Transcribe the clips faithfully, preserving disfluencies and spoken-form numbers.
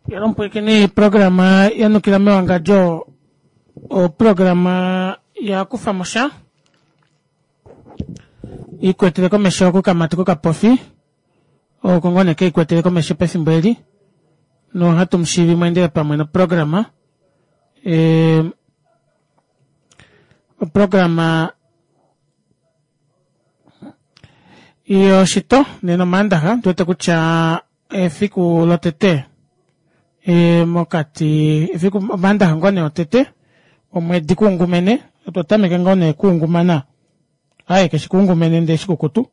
Yalompwekeni programa yanukila mewangadjo oprograma yakufa mosha ikwetele komesho kokamati kokapofi oko ngoo nee keikwetele komesho pefimbo eli nohatu mushiivi mweendele pamwe noprograma ee oprograma yoshito nena omaandaxa ondiwete kutya efiku lotete e mokati efiku omaandaxa ngoo nee otete omwedi kuungumene otwa tameka ngoo nee kuungumana aaye keshi kuungumene ndee shikukutu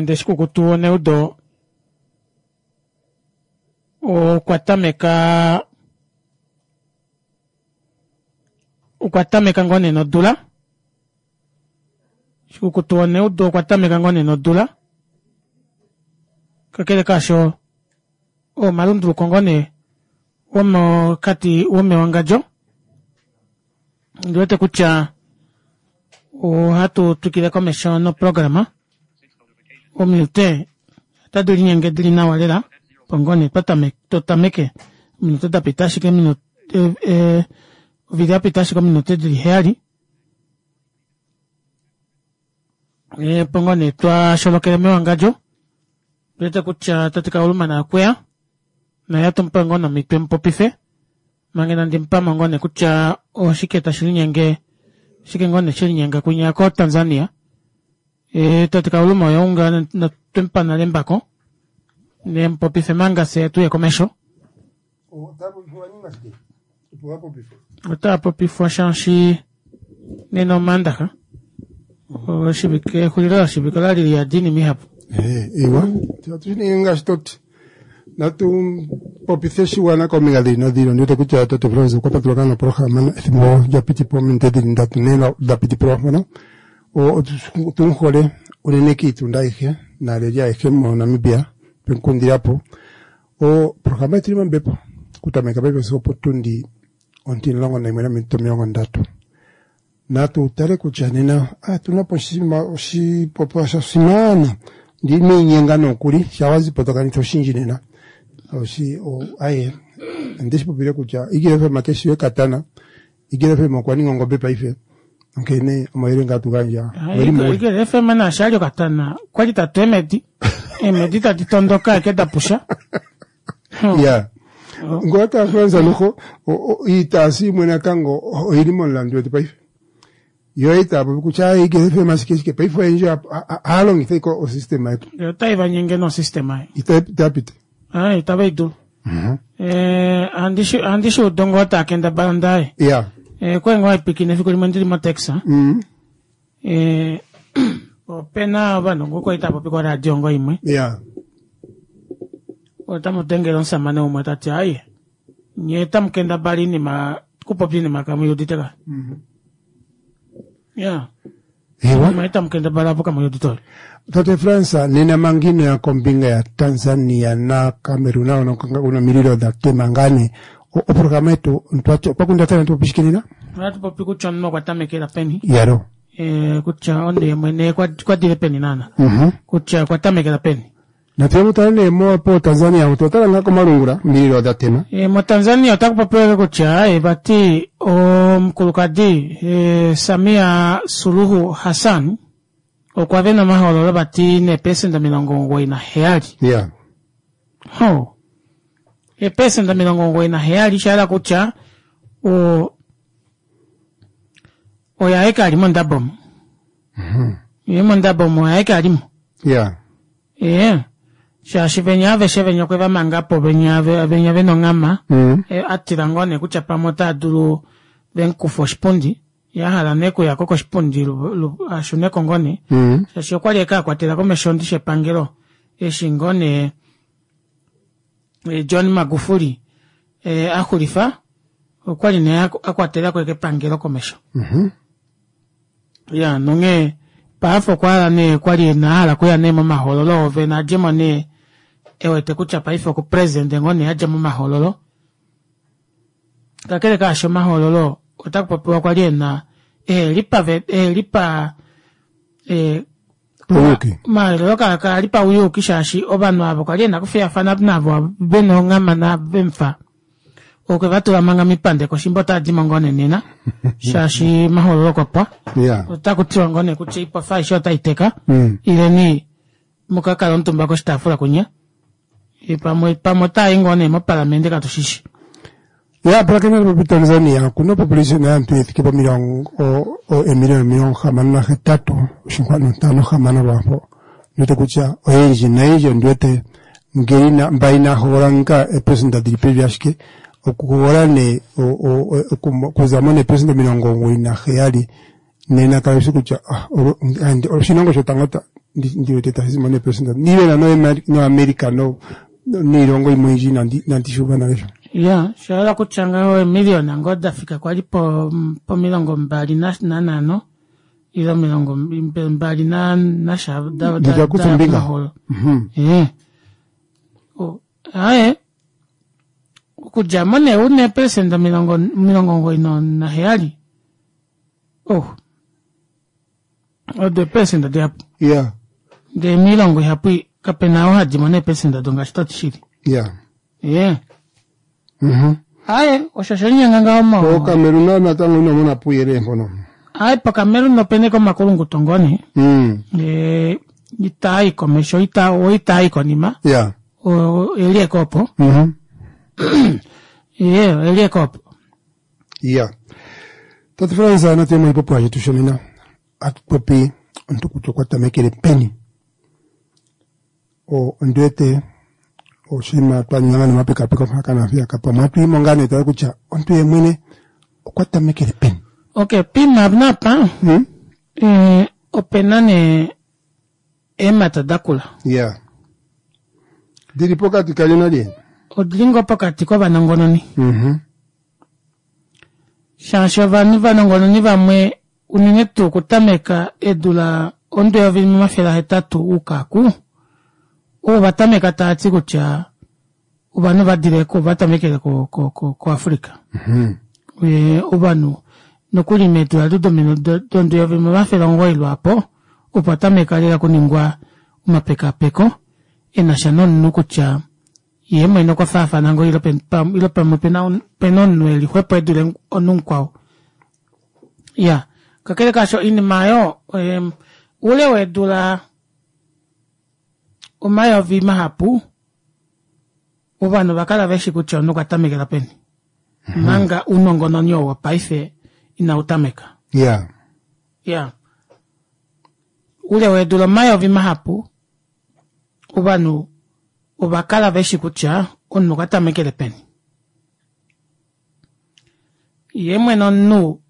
ndee shikukutu woneudo okwa tameka okwa tameka ngoo nee nodula shikukutu woneudo okwa tameka ngoo nee nodula kakele kaasho omalunduluko ngoo nee womokati womewangadjo ondiwete kutya ohatu twikile komesho noprograma ominute otadi linyenge dili nawa lela opo ngoo nee totameke ominute dapita ashike ovili yapita ashike ominute dili heyali opo ngoo nee twasholokele mewangadjo ondiwete kutya tate kauluma naye okweya naye atumupe ngoo nee omito emupopife manga inandimupamo ngoo nee kutya oshike tashi linyenge oshike ngoo nee shelinyenga kwinya ko Tanzania ee tate kauluma oye unga twemupa nale embako nemupopife manga fyee tuye komesho otapopifwa shaashi nena omaandaxa oshivike exulilo loshivike olali liyadi oinima ihapu. Iwa atushi ngaashi toti natu popithe oshiwana kombinga dhili nodhili. Ondiwete kutya tate Florence okwa patuluka ngaa noprograma ethimbo lya piti po ominute dhili ndatu nhee da piti po mpono. Otu muhole unene kiitunda ayihe naaleli ayehe moNamibia twemukundila po. Oprograma yetu ili mombepo okutameka paife sigo opotundi ontimulongo nayimwe nominute omilongo ndatu. Natu tale kutya nena otuna po oshipopiwa sha simana ndineinyenga nokuli sha wazipo tokanitha oshindji nena. Aye ondeshi popile kutya Eagle F M keshi ekatana, Eagle F M okwa ninga ongobe paife onkene omayele ngaa tugandja Eagle F M naashi ali okatana okwali tatu eemedi eemedi tadi tondoka eke dapusha. Ya ngoka tafransa noho iitaasi imwe natango oyili momulandu wetu paife yo itaya popi kutya Eagle F M ashike shike paife oyendji ohaya longitha iko osystema yetu otai vanyenge nosystema itaya piti itava idulu ohandi shuudu ngoo taa kendabala ndaye ya okwali ngoo haipwiikine efiku limwe ndili motaxi opena ovanhu ngoo kwali tava popi koradio ngoo imwe ya otamu dengele omusamane umwe tati aye nye tamu kendabala oinima kupopya oinima kamuiudite ka ya ewa tamu kendabala apo kamuiudite. Tate Fransa nena mangino ya kombinga ya Tanzania na Cameroon una mililo dha tema ngane oprograma yetu pakundathana tupopishikinina ohatu popi kutya omunhu okwa tamekela peni yaro kutya onde mwene kwadile peni naana kutya okwa tamekela peni. Natuye mutale nee mo po Tanzania otwatala ngaa komalungula mililo dha tema. Mo Tanzania otaku popiwa kutya vati omukulukadi Samia Suluhu Hassan okwa vena omahoololo vati neepesenda omilongo omugoyi naheyali. Ya ho eepesenda omilongo omugoyi naheyali shahala kutya oye aeke ali mondabo omo ye mondabo omo oye aeke alimo. Ya ee shaashi venya aveshe venya okwe vamangapo venya venya vena onghama atila ngoo nee kutya pamwe otaa dulu vemukufa oshipundi yahala nee okuyako koshipundi ashuneko ngoo nee shaashi okwali eke akwatela komesho ndishi epangelo eshi ngoo nee John Magufuli axulifa okwali nee akwatelako epangelo komesho. Ya nonghee paife okwahala nee okwali ahala okuya nee momahoololo oovene adjemo nee ewete kutya paife oku president ngoo nee adja momahoololo. Kakele kaasho omahoololo otaku popiwa kwali ena ehelipa ehelipa Pauyuki. Omahoololo kaali pauyuki shaashi ovanhu avo kwali ena okufiyafana navo vena onghama vemufa okwe vatula manga mipandeko shimba otaadimo ngoo nee nena shaashi omahoololo okwapwa Yeah. otakutiwa ngoo nee kutya oipofa aishe otaiteka Mm. ileni mukakala omutumba koshitaafula kunya pamwe pamwe otaayi ngoo nee mopalamende katushishi. Ya, pulakena popi Tanzania okuna population yaantu yethike pomilongo emiliyona omilongo hamano nahetatu oshinkwanu ntano hamano lwapo. Ndiwete kutya oyendji noyendji ondiwete ngele ina mba inaa hogolola nga eepresenda dhili pevi ashike okuhogolola nee okuza mo neepresenda omilongo omugoyi naheyali nena kayishi kutya ah, oshilongo shotango ndi wete tashi zimo neepresenda niiwena noAmerica no niilongo yimwe oyindji inandi shi uva nale sho. Ya, osha kutya ngaho eemiliyona ngoo dafika kwali po pomilongo mbali nanhano ile omilongo mbali nasha Ndakutha ombinga. Ee aaye okudjamo nee una eepelesenda omilongo omilongo omugoyi naheyali oh odo eepelesenda dihapu. Ya. Ndee moilongo ihapu kapena oo hadimo neepelesenda odo ngaashi toti shili. Ya. Ee Mhm. Aaye osho oshelinyenga ngaho mo Okamerun natango ino mona puuyelele mpono. Aaye pokamerun opena omakulunguto ngoo nee Mm. ee itaayi komesho ita oitaayi konima Ya. eli ekopo Mhm. ee eli ekopo. Ya. Tate Frans natu ye moshipopiwa shetu shonena atu popi omuntu kutya okwa tamekele peni. O ondi wete oshinima twa ninga ngaa nomapekapeko mpaka naampeyaka pamwe atu yimo ngaa nee tale kutya omuntu ye mwene okwa tamekele peni. Ok poima naapa Mm? ee opena nee eemhata dakula. Ya. Dhili pokati kalye nalye? Odili ngoo pokati kovanongononi. Mhm. Shaashi ovanhu vanongononi vamwe unene tuu okutameka eedula omudo eyovi limwe omafele ahetatu ukaku ovo vatameka taati kutya ovanhu vadile vatamekele ko ko ko koAfrica. Mhm. Ee ovanhu nokuli meedula domudo eyovi limwe omafele omugoyi lwaapo opo tameka lela okuningwa omapekapeko enasha nomunhu kutya yee mwene okwa faafana ngoo ile pamwe opena omunhu eli xwepo edule omunhu mukwao. Iya kakele kaasho oinima aayo oule weedula omayovi mahapu ovanhu ovakala veshi kutya omunhu okwa tamekela peni omanga ounongononi ou wopaife inautameka. Ya. Iya oule weedula omayovi mahapu ovanhu ovakala veshi kutya omunhu okwa tamekele peni. Yee mwene omunhu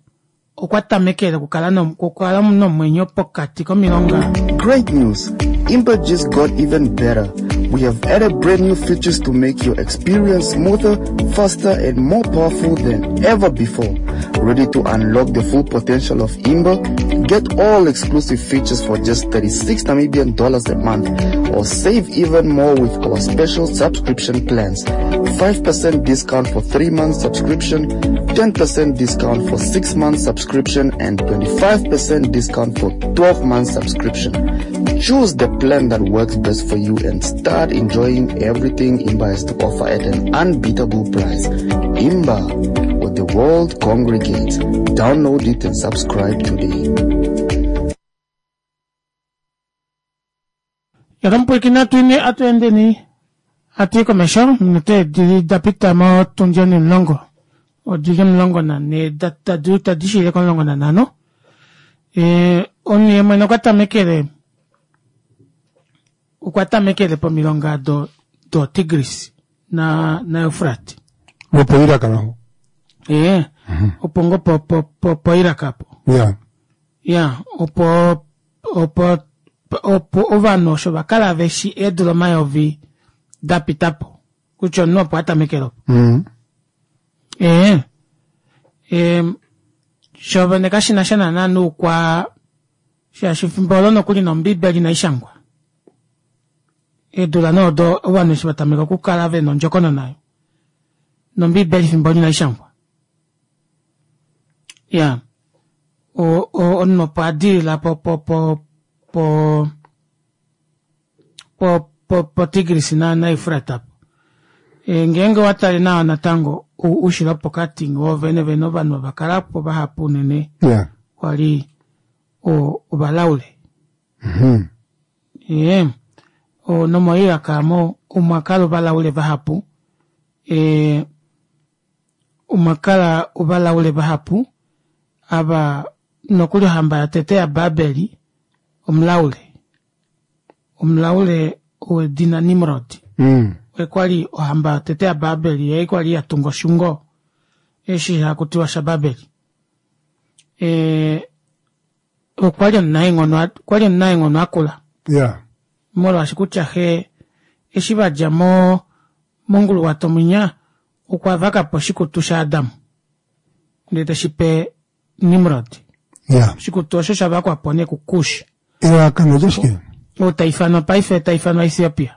okwa tamekele okukala okukala nomwenyo pokati komilonga. Great news! Imba just got even better. We have added brand new features to make your experience smoother, faster, and more powerful than ever before. Ready to unlock the full potential of Imba? Get all exclusive features for just thirty-six Namibian dollars a month, or save even more with our special subscription plans. five percent discount for three month subscription, ten percent discount for six month subscription, and twenty-five percent discount for twelve month subscription. Choose the plan that works best for you and start enjoying everything Imba has to offer at an unbeatable price. Imba, where the world congregates. Download it and subscribe today. Yakamupwiikina atuine atuendeni atuyi komesho ominute dili dapita motundi onimulongo odili omulongo nanhee tadi shiile komulongo nanhano. Ee omunhu yemwene okwa tamekele okwa tamekele pomilonga do do Tigris na na Eufrat. Lwopo Iraq naho. Ee opo ngoo po po po po Iraq apo. Ya. Ya opo opo opo ovanhu osho vakala veshi eedula omayovi dapitapo kutya omunhu opo atamekele opo. Mm. Ee ee shovene kashinasha naana noukwa shaashi efimbo olo nokuli nombiibeli inaishangwa. Eedula nee odo ovanhu eshi vatameka okukala vena ondjokonona oyo nombiibeli efimbo olo inaishangwa. Iya omunhu opo adilila po po po po Po po po Tigris na na Eufrat apo. E, ngeenge owa tale nawa natango oushilo wopokati wo vene vene ovanhu ova kala po vahapu unene Yeah. kwa li ovalaule. Mhm. Ye, o nomoIraq mo omwa kala ovalaule vahapu. E, omwa kala ovalaule vahapu ava nokuli ohamba yotete yaBabeli omulaule. Omulaule wedina Nimrod. Mm. Oye kwali ohamba yotete yaBabeli, ye kwali ya tunga oshungo eshi haku tiwa shaBabeli. E, okwa li omunaenghono, okwa li omunaenghono akula. Yeah. Molwaashi kutya xe eshi vadja mo monguluwato mwinya okwa vaka po oshikutu shaAdam ndele teshi pe Nimrod. Yeah. Oshikutu osho sha vakwa po nee kuKush. Elalakano lyashike? Ou ta ifanwa paife ta ifanwa Ethiopia.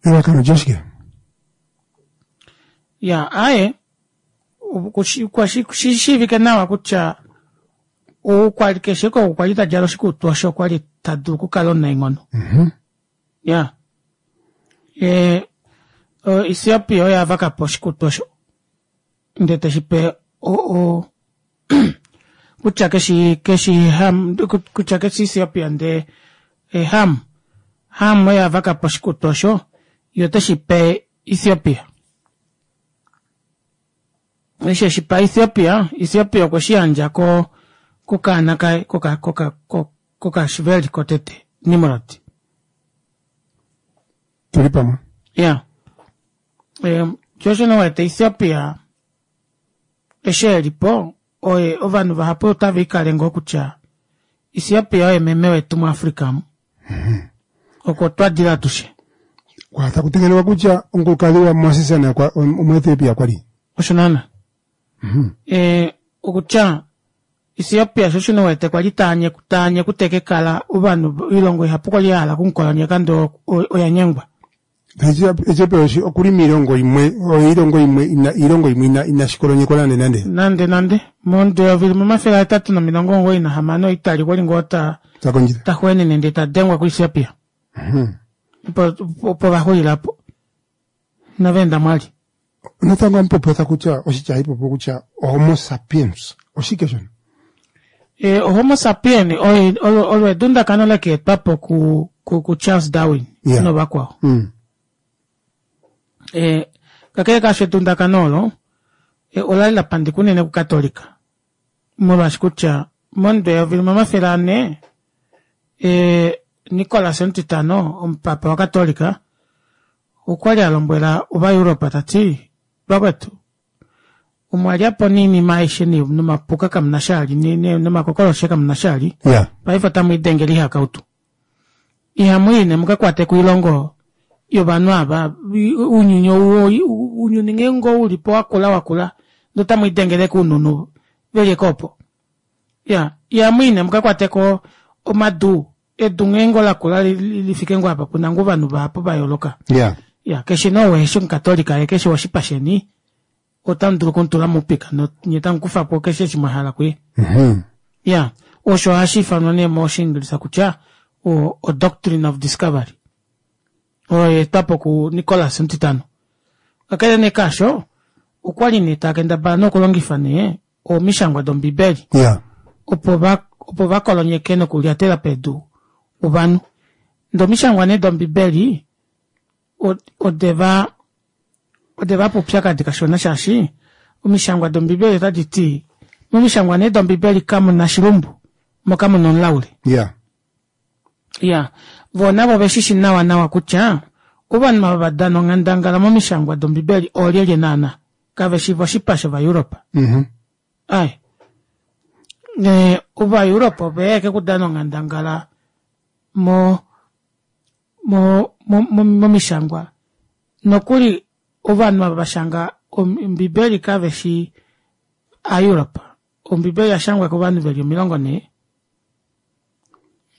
Elalakano lyashike? Ya, aye kwa shi shiivike nawa kutya ou kwa li keshe ko kwa li ta djala oshikutu osho kwa li ta dulu okukala omunaenghono. Mhm. Ya. E, o Ethiopia oye a vaka po oshikutu osho ndele teshi pe o, o kutya keshi keshi Ham kutya keshi Ethiopia ndee e Ham Ham oye a vaka po oshikutu osho ye oteshi pe Ethiopia. Eshi eshi pa Ethiopia, Ethiopia okwe shi yandja ko kokaana kaye koka koka kokashiveli kotete Nimrod. Tuli pamwe. Ya. E, sho nee wete Ethiopia eshi eli po oye ovanhu vahapu otava ikale ngoo kutya Ethiopia oye meme wetu muAfrika mu. Oko twa dila atushe. Kwa taku tegelelwa kutya omukulukadhi waMoses naye okwa- omuEthiopia kwali. Osho naana. E, okutya Ethiopia sho shino wete kwali taanye taanye kutekekala ovanhu oilongo ihapu kwali ya hala okumukolonyeka ndee oya nyengwa. Ethiopia oshi okuli miilongo imwe oyo iilongo imwe ina iilongo imwe ina inashikolonyekwa nande nande. Nande nande momudo eyovi limwe omafele ahetatu nomilongo omugoyi nahamano Italy okwali ngoo ta Takondjitha. ta xweenene ndee ta dengwa kuEthiopia. Opo opo vaxulilapo. Inava mwali. Natango amupopotha kutya oshitya hayipopo kutya homo sapiens oshike shono? E, Homo sapien oye olo olo edundakano lekeetwapo ku, ku, ku Charles Darwin Yeah. novakwao. Mm. E, kakele kaasho edundakano olo e, ola li la pandika unene kukatolika molwaashi kutya momudo eyovi limwe omafele ane e, Nicolas omutitano omupapa wakatolika okwali a lombwela ovaEuropa tati vakwetu omwa lyapo niinima aishe ni- nomapuka kamuna shali ni- ni- nomakokoloshe kamuna shali Yeah. paife otamu idengele ihakautu ihamu i mukakwate koilongo yovanhu ava ounyuni ou ounyuni ngeenge ulipo wakula wakula ndee otamu idengele koununu veli opo ya ihamu i nee mukakwateko omadu edu ngeenge olakula lifike ngoo apa puna ngoo ovanhu vahapu vayooloka Yeah. ya keshe nee ou eshi omukatolika ye keshe woshipa sheni otamu dulu okumutula moupika nye tamu kufapo keshe eshi mwahala kuye. Mhm. Ya, osho hashi ifanwa nee moshiingilisa kutya o, o doctrine of discovery oyo yaetwapo ku Nicholas omutitano. Kakele nee kaasho okwali nee takendabala nokulongifa nee omishangwa dombibeli Yeah. opo va opo vakolonyeke nokulyatela pedu ovanhu. Ndee omishangwa nee dombibeli odeva odeva pa oupyakadi kashona shaashi omishangwa dombibeli otadi ti momishangwa nee dombibeli kamuna shilumbu mo kamuna omulaule. Yeah. Ya, voo navo oveshishi nawa nawa kutya ovanhu ava vadana onghandangala momishangwa dombibeli oolyelye naana kaveshi voshipa shOvaeuropa. Mhm. Ai. Ne Ovaeuropa oveya ashike okudana onghandangala mo mo mo momishangwa nokuli ovanhu ava vashanga ombibeli kaveshi aEuropa. Ombibeli yashangwa kovanhu veli omilongo nhee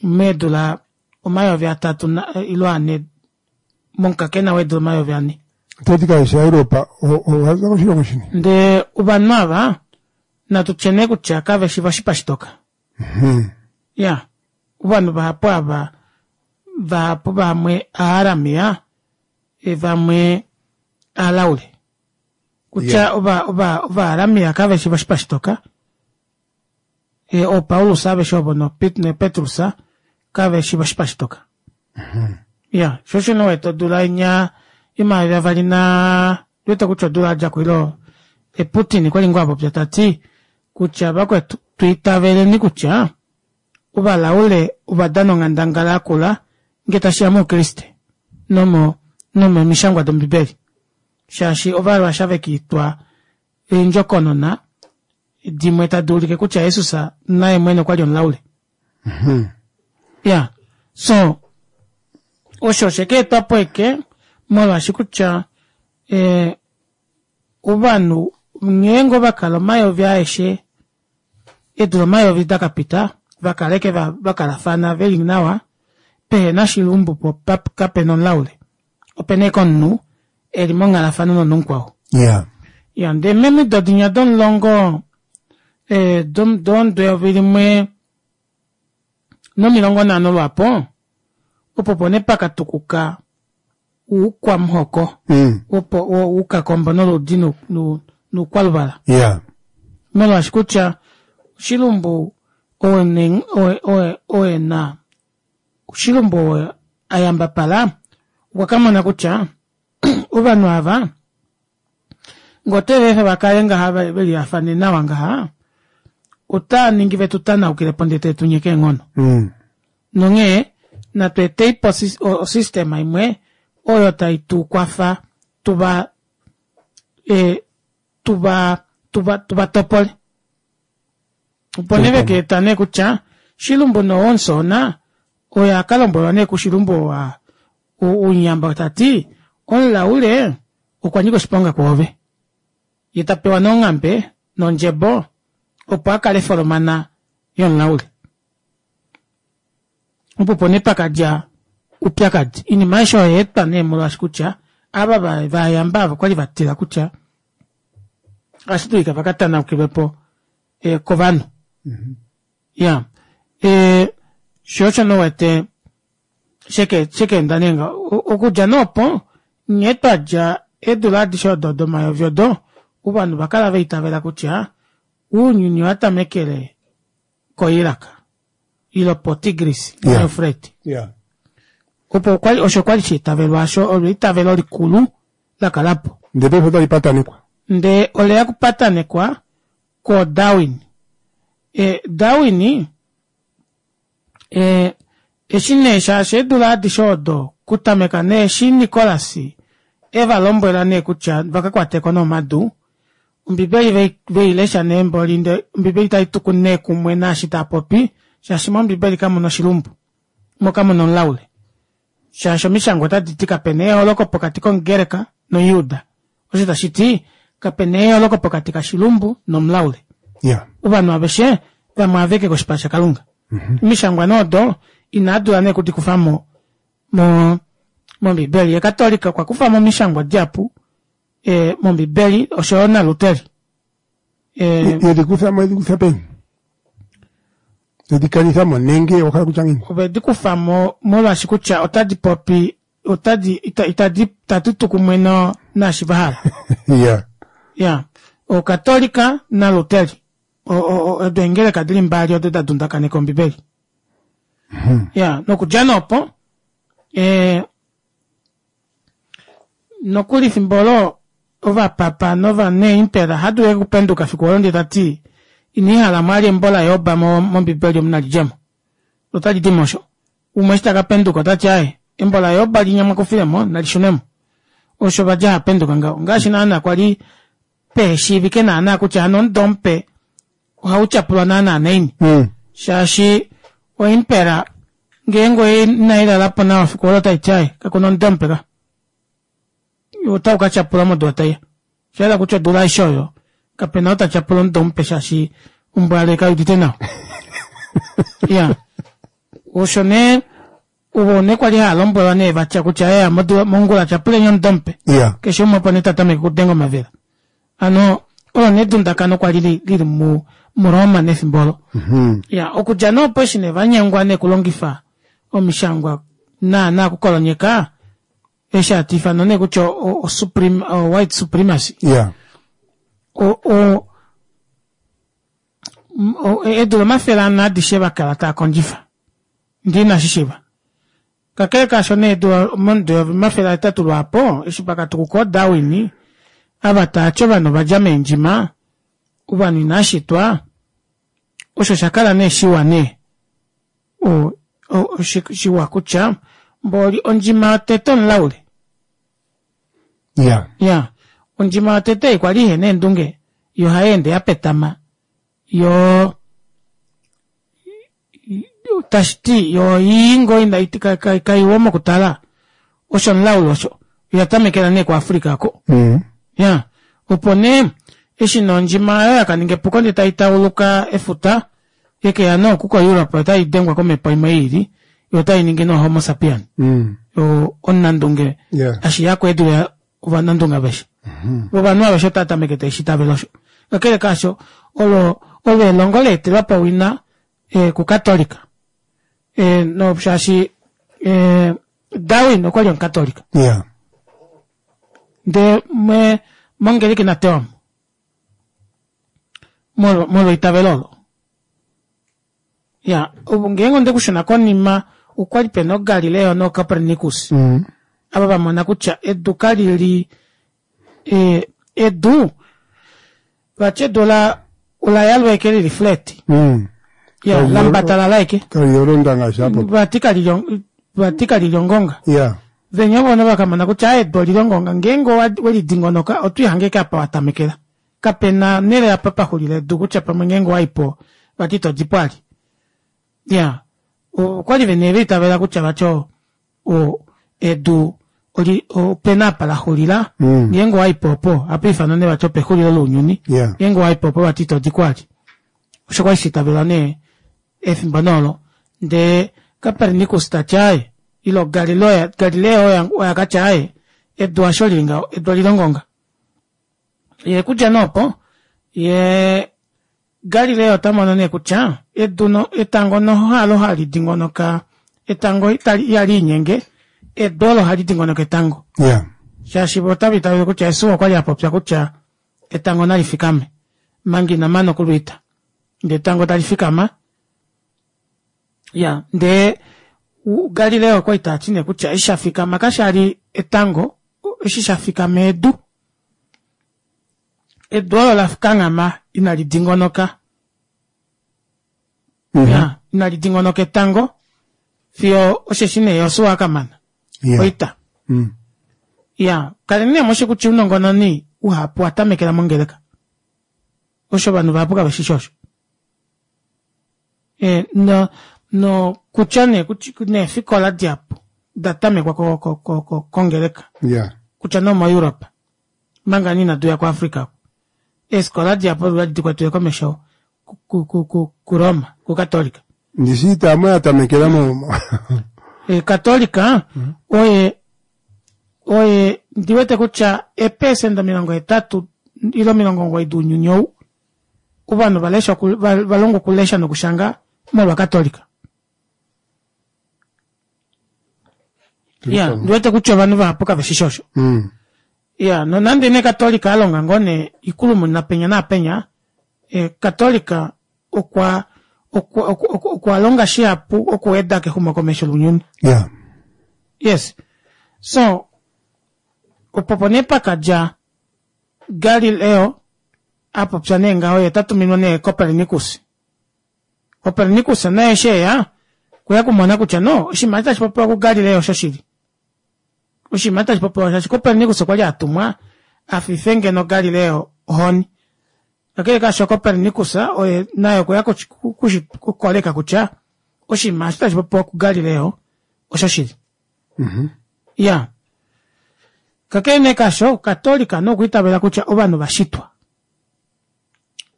meedula omayovi atatu ile ane momukakena weedula omayovi ane. Toti kaveshi aEuropa ovaza koshilongo shini? Ndee ovanhu ava natu tye nee kutya kaveshi voshipa shitoka. Mhm. Ya, ovanhu vahapu ava Vahapu vamwe Aaramia, vamwe Aalaule. Kutya ova ova Ovaaramia kaveshi voshipa shitoka, ooPaulus aveshe ovo naPetrus kaveshi voshipa shitoka. Iya, sho osho nee uwete odula inya yomayovi avali naa ndiwete kutya odula yadjako ile Putin okwali ngoo apopya tati kutya vakwetu twiitaveleni kutya ovalaule ovadana onghandangala yakula ngee tashiya moukriste nomo nomomishangwa dombibeli shaashi ovarussia vekiitwa eendjokonona dimwe tadi ulike kutya Jesus naye mwene okwali omulaule. Ya so osho oshekeetwapo eke molwaashi kutya eh, ovanhu ngeenge ovakala omayovi aeshe eedula omayovi dakapita vakaleke vakalafana veli nawa pehena shilumbu po kapena omulaule opena ashike omunhu eli monghalafano nomunhu mukwao. Yeah. Ya ndee momido dinya domulongo eh, domudo eyovi limwe nomilongo nhano lwaapo opo opo nee pakatukuka oukwamuhoko Mm. opo oukakombo noludi noukwaluvala. Yeah. Molwaashi kutya oshilumbu owe na oshilumbu owe ayambapala okwa kamona kutya ovanhu ava ngee otwevaefa vakale ngaha velihafane nawa ngaha otaaningi vetu tanaukilepo ndee tavetunyeke eenghono. Mm. Nonghee natu eteipo osystem imwe oyo tai tukwafa tuva e, tuva tuva tuvatopole. Opo nee vekeeta nee kutya shilumbu nowomusoona oye akalombwelwa nee kushilumbu wa unyamba tati omulaule okwa nyika oshiponga kwoove. Ye tapewa nee onghambe nondjebo opo akale folomana yomulaule. Opo opo nee pakadja oupyakadi. Oinima aishe oyo oyaetwa nee molwaashi kutya ava vayamba ava okwali vatila kutya ohashi dulika vakatanaukilwepo eh, kovanhu. Ya eh, sho osho nee uwete sheke shekeenda nee ngaho okudja nee opo nghee twadja eedula adishe odo domayovi odo ovanhu ovakala vaitavela kutya ounyuni owatamekele ko Iraq ile po Tigris Yeah. Eufrate. Yeah. Opo okwali osho kwali shaitavelwa osho olo eitavelo likulu lakalapo. Ndee paife otali patanekwa. Ndee oleya kupatanekwa ko Darwin. E, Darwin e, eshi nee shaashi eedula adishe odo kutameka nee eshi Nicholas evalombwela nee kutya vakakwateko nee omadu, ombibeli veilesha nee mboli ndee ombibeli taituku nee kumwe naashi taapopi shaashi mombibeli kamuna oshilumbu mo kamuna omulaule shaashi omishangwa otaditi kapena eyooloko pokati komugreka nomujuda osho tashiti kapena eyooloko pokati kashilumbu nomulaule. Yeah. Ovanhu aveshe vamwe aveke koshipala shakalunga. Omishangwa nee odo inadula nee kudikufamo mo mombibeli. Ye katolika okwa kufamo omishangwa dihapu e, mombibeli oshoyo naluteri. E, Yedikufamo yedikufa peni? Yedikanifamo nenge owahala kutya ngiini? Ovedikufamo molwaashi kutya otadi popi otadi ita, itadi itadi tu kumwe no naashi vahala. Yeah. Ya okatolika naluteri odo eengeleka dili mbali odo dadundakaneka ombibeli. Ya nokudja nee opo e, nokuli efimbo olo ovapapa novaneimpera ohadulu ashike okupenduka efiku olo ndee tati iniihala mwali embo laJob mombibeli omu nalidjemo otali dimo osho. Umwe eshi takapenduka otati aaye embo laJob linya mwakufilemo nalishunemo. Osho vali hapenduka ngaho ngaashi naana kwali peheshiivike naana kutya hano omudo mupe ohautyapulwa naana naini. Mm. Shaashi oimpera ngeenge inailalapo nawa efiku olo otaiti aaye kakuna omudo mupe ka. Otau katyapulwa modula taiya. Oshahala kutya odula aishe oyo kapena ou tatyapula omudo mupe shaashi ombwale kaiudite nawa. Iya osho nee ovo nee kwali haalombwelwa nee vatya kutya eya mongula tyapuleni omudo mupe. Yeah. Keshe umwe opo nee tatameke okudenga omavela. Hano olo nee edundakano kwali lili mu muRoma nefimbo olo. Mm-hmm. Ya okudja nee opo eshi nee vanyengwa nee okulongifa omishangwa Naana okukolonyeka eshi hatu ifana nee kutya o, o, supreme, o white supremacy. Yeah. O, o, o, eedula omafele ane adishe vakala taa kondjifa ndee inashi shiiva. Kakele kaasho nee eedula momudo omafele ahetatu lwaapo eshi pakatukuka ooDarwin ava taati ovanhu ovadja meendjima ovanhu inashitwa osho shakala nee shiwa nee o, o, shiwa kutya mboli ondjima yotete omulaule. Yeah. Ya, ondjima yotete kwali ihena eendunge yo ohayeende yapetama yoo tashiti yo ii ngoo ina kaiwa mokutala osho omulaule osho oyatamekela nee kuAfrica oko. Mm. Ya, opo nee eshi nee ondjima oyo yakaninga epuko ndee taitauluka efuta yekeya nee oku koEurope otai dengwa komhepo imwe iili yo otainingi nee homo sapien. Mm. Omunandunge Yeah. ashiyako edule ovanandunge aveshe. Ovanhu aveshe otava tameke taishitavele osho. Kakele kaasho olo olo elongo leetelwa owina e, kukatolika e, no shaashi e, Darwin okwali omukatolika. Yeah. Ndee me mongeleki natewamo molwa molwa eitavelo olo. Ya, ngeenge ondekushuna konima okwali pena ooGalileo nooCopernicus. Mm. Ava vamona kutya edu kalili e, edu vati edu ola ola yalwa ashike lili flat. Mm. Ya, Kalili- lambatalala ashike. Kalili olonda ngaashi apo. Vati kalili vati kalili ongonga. Yeah. Venya vona vakamona kutya aye edu olili ongonga ngeenge welidingonoka otwiihange ashike apa watamekela. Kapena onhele apa paxulila edu kutya pamwe ngeenge owaipo vati itodipo vali. Ya, okwali vene vaitavela kutya vati o o edu oli opena apa laxulila Mm. ngeenge owaipo opo ohapa ifanwa nee vati opexulilo lounyuni. Yeah. Ngeenge owaipo opo vati itodiko vali. Osho kwali shaitavelwa nee efimbo nee olo ndee Copernicus tati aaye ile Galileo Galileo oye akatya aaye edu hasho lili ngaho edu olili ongonga. Yee okudja nee opo yee Galileo otamono nee kutya edu no etango noho halo hali dingonoka etango itali ihaliinyenge edu olo hali dingonoka etango. Yeah. Shaashi otava itavele kutya Jesus okwali apopya kutya etango nali fikame manga ina mana okulwiita ndee etango tali fikama. Ya, ndee Galileo okwali tati nee kutya eshi shafikama kashali etango eshi shafikama edu. Edu olo lakanghama inali dingonoka. Mm -hmm. Ya, inali dingonoka etango fiyo osheshi nee Josua akamana Yeah. oita. Mm. Ya, kaleni nee mushi kutya ounongononi uhapu watamekela mongeleka. Osho ovanhu vahapu kave shishi osho. E, no, no kutya nee neefikola dihapu datamekwa ko, ko, ko, ko, kongeleka. Yeah. Kutya nee omoEurope manga nee inatu ya kuAfrica oku. Eefikola dihapu odali dikwetiwe komesho ku, ku, ku, kuRoma, kukatolika. Ndishi itamu yatamekela mo. E, Katolika oye oye ndiwete kutya eepesenda omilongo hetatu ile omilongo omugoyi dounyuni ou ovanhu valesha valongwa okulesha nokushanga molwa Katolika. Ya, ndiwete kutya ovanhu vahapu kave shishi osho. Mm. Ya, nonande nee Katolika alonga ngoo nee ikulumuna penya naapenya, e, Katolika okwa okwa okwa okwa longa shihapu okuweda kexumokomesho lounyuni. Yeah. Yes. So, opo nee pakadja Galileo apopya nee ngaho ye tatuminwa nee Copernicus. Copernicus naye eshi eya okweya okumona kutya no oshinima eshi tashi popiwa kuGalileo oshoshili. Oshinima tashi popiwa shaashi Copernicus okwali atumwa afife ngeno Galileo ohoni. Kakele kaasho Copernicus oye naye okweya kukoleka kutya oshinima eshi tashi popiwa kuGalileo oshoshili. Mm Ya. Kakele nee kaasho Katolika nokwiitavela kutya ovanhu vashitwa.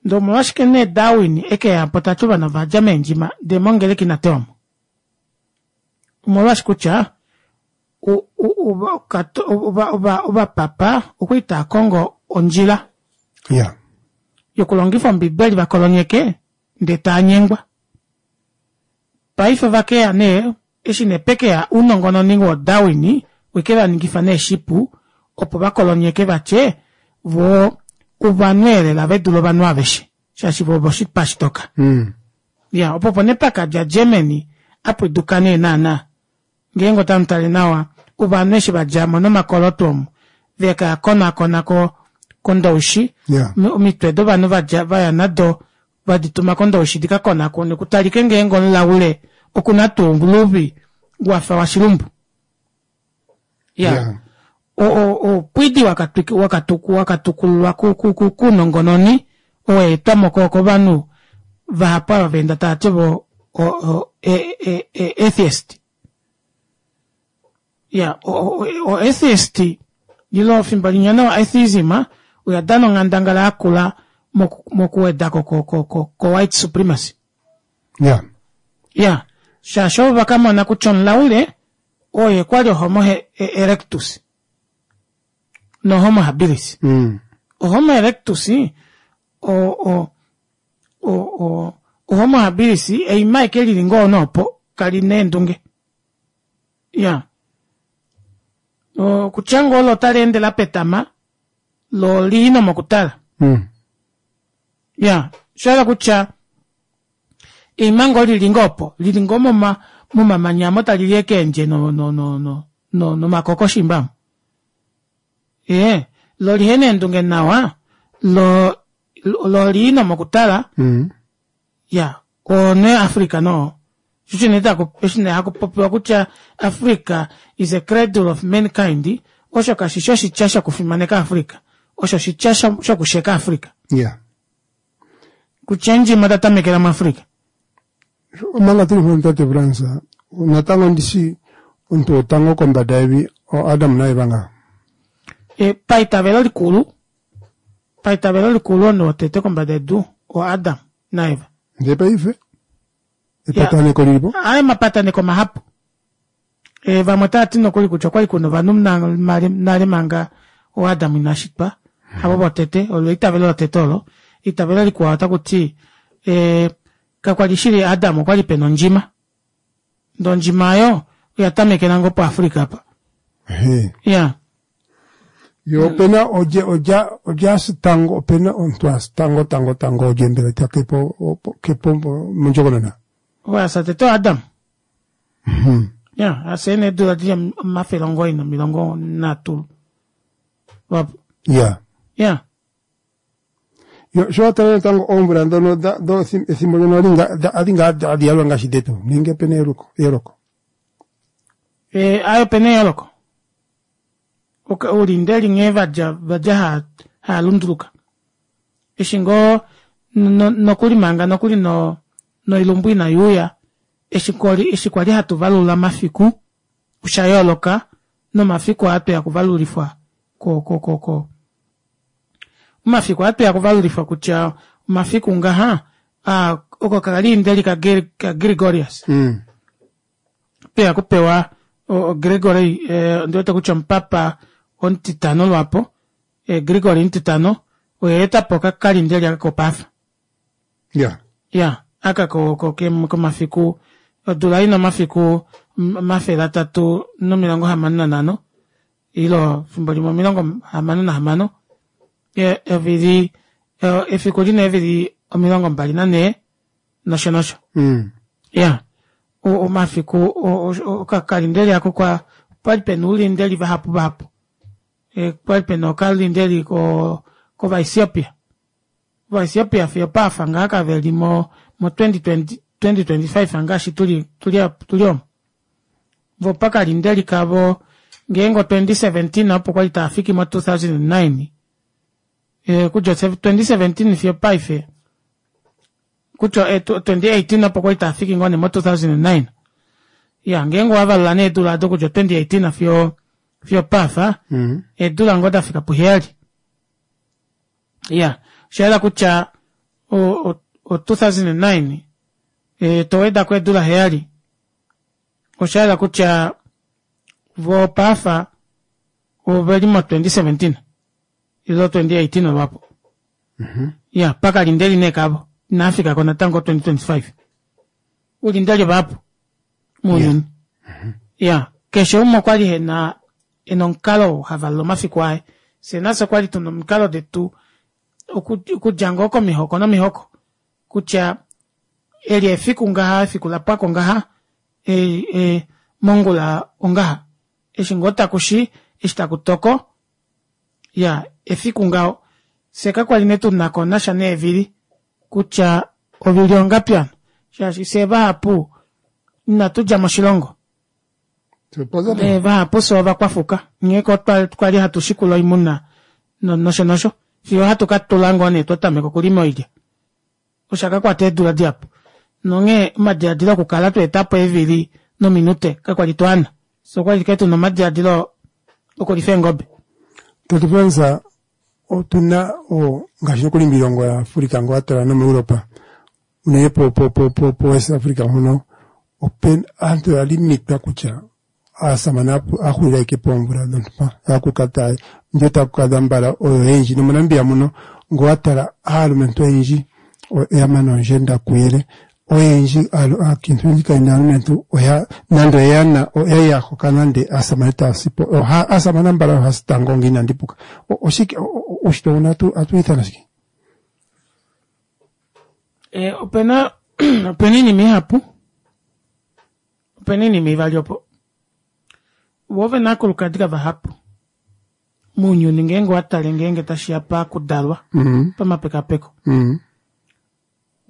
Ndee omolwashike nee Darwin ekeyapo tati ovanhu ovadja meendjima ndee mongeleki inatewamo. Omolwaashi kutya ovapapa okwali taakongo ondjila Yeah. yokulongifa ombibeli vakolonyeke ndee taanyengwa. Paife ovakeya nee Eshi nee pekeya ounongononi wooDarwin weke vaningifa nee shipu opo vakolonyeke vatye voo ovanhu elela vedule ovanhu aveshe shaashi voo ovoshipa shitoka. Mm. Ya, opo opo nee pakadja Germany apwiduka nee naana ngeenge otamutale nawa ovanhu eshi vadjamo nomakoloto omu veka konakona ko kondoushi Yeah. omitwe dovanhu vadja vaya nado vadituma kondoushi dikakonakonwe kutalike ngeenge omulaule okuna tuu ouluvi wafa washilumbu. Ya, Yeah. oupwidi wakatukululwa kounongononi oweetwamo kovanhu vahapu ava vaenda tavati vo atheist. Ya, o atheist ile efimbo linya nee o atheism oyadana onghandangala yakula mokuwedako ko white supremacy. Yeah. Ya, shaashi ovo vakamona kutya omulaule oye kwali homo erectus no homo habilis. Mm. Homo erectus o o o homo habilis eima ashike lili ngoo nee opo kalina eendunge. Iyaa, okutya ngoo olo otaleende lapetama loo olii nomokutala. Mm. Iyaa, oshahala kutya eima ngoo lili ngoo opo lili ngoo momamanya aamo talili ashike eendje no no no nomakoko shiimba aamo. Ee loo olihena eendunge nawa loo olii nomokutala. Mm. Iyaa, oo nee Africa nee oo, shoo osho nee hakupopiwa kutya Africa is a cradle of mankind, osho kashishi oshitya shokufimaneka Africa, osho oshitya shokusheka Africa. Yeah. Kutya eendjima oda tamekela muAfrica. Omanga tuli mpono tate Frans, natango ndishi omuntu wotango kombada yevi oAdam naEva ngaa. E, paitavelo likulu, paitavelo likulu omunhu wotete kombada yedu oAdam naEva. Ndee paife epataneko lilipo? Aaye omapataneko mahapu. E, vamwe otavati nokuli kutya okwali kuna ovanhu nale manga ooAdam inashitwa, havo votete, olo eitavelo lotete olo. Eitavelo likwao otakuti ee kakwali shili Adam okwali pena ondjima, ndee ondjima aayo oya tamekela ngoo puAfrica apa. Ehee. Iyaa. Yo opena olye olya olye asi tango opena omuntu asi tango tango tango olye mbela ta kepo kepo mondjokonona. Ou asa tete oAdam. Iyaa, asa ena eedula dili omafele omugoyi nomilongo nhatu lwaapo. Ya. Iyaa. Yo sho watala natango oomvula dhono dha ethimbo ndyono adhi ngaa adhi yalulwa ngaashi dhetu nenge opena eyooloko? Ee aaye opena eyooloko. Oulindeli nghee vadja vadja haalunduluka. Eshi ngoo nokuli manga nokuli noilumbu inaiuya, eshi eshi kwali hatu valula omafiku osha yooloka nomafiku aa tweya okuvalulifwa ko ko ko omafiku aa tweya okuvalulifwa kutya omafiku ngaha aa oko okalindeli kaGregorius. Mm. Tweya okupewa Gregory ondiwete kutya omupapa omutitano lwaapo, Gregory omutitano oye aetapo okakalindeli aka kopaafa. Ya. Ya, aka komafiku odula ina omafiku omafele atatu nomilongo hamano nanhano ile efimbo limwe omilongo hamano nahamano, evili efiku lina eevili omilongo mbali nanhee nosho nosho. Mm. Ya, omafiku okakalindeli aako okwali pena oulindeli vahapu vahapu. Okwali pena okalindeli kovaEthiopia, ovaEthiopia fiyo opaafa ngaha kaveli mo twenty twenty five ngaashi tuli tuli omu. Voo pakalindeli kavo ngeenge o twenty seventeen opo kwali taafiki mo two thousand and nine, okudja twenty seventeen fiyo opaife kutya twenty eighteen opo kwali taafiki ngoo nee mo two thousand and nine. Iya, ngeenge owavalula nee eedula aado okudja twenty eighteen fiyo fiyo opaafa, eedula ngoo dafika puheyali. Iya, oshayela kutya o o two thousand and nine towedako eedula heyali, oshayela kutya voo paafa oveli mo twenty seventeen ile twenty eighteen lwaapo. Iya, pakalindeli nee kavo inaafikako natango twenty twenty five. Oulindeli ovahapu mounyuni. Ya, keshe umwe okwali ena ena omukalo havalula omafiku aye. Fyee nafye okwali tuna omikalo detu okudja ngoo komihoko nomihoko kutya eli efiku ngaha efiku lapwako ngaha mongula ongaha eshi ngoo takushi eshi takutoko iyaa efiku ngaho fyee kakwali nee tunakonasha neevili kutya ovili ongapi aapo shaashi fyee vahapu ina tudja moshilongo vahapu fyee ovakwafuka onghee kwali hatu shikula oimuna nosho nosho fiyo ohatu katula ngoo nee twatameka okulima oilya osho shakakwata eedula dihapu nonghee omadilaadilo okukala tweetapo eevili nominute kakwali tuana fyee okwali ashike tuna omadilaadilo okulifa eengobe. Tate Frans, otuna ngaashi nokuli moilongo ya Africa ngee owatala nomo Europe unene po po po West Africa mpono opena aantu oya limitwa kutya aasamane ohaxulile ashike poomvula dhontumba aakulukadhi ndee aakulukadhi ambala oyo oyendji nomo Namibia muno ngee owatala aalumentu oyendji oyamana oondjenda kuyele oyendji aakintu oyendji kayena aalumentu oya nande oyana oyali yahokana ndee aasamane taasipo aasamane ambala oyo haasi tango ngee inandi puka oshike uushitwe mbuno ohatu wiithana shike? Opena opena oinima ihapu opena oinima ivali opo voo ovena aakulukadi kavahapu mounyuni ngeenge owatale ngeenge tashiya pakudalwa pamapekapeko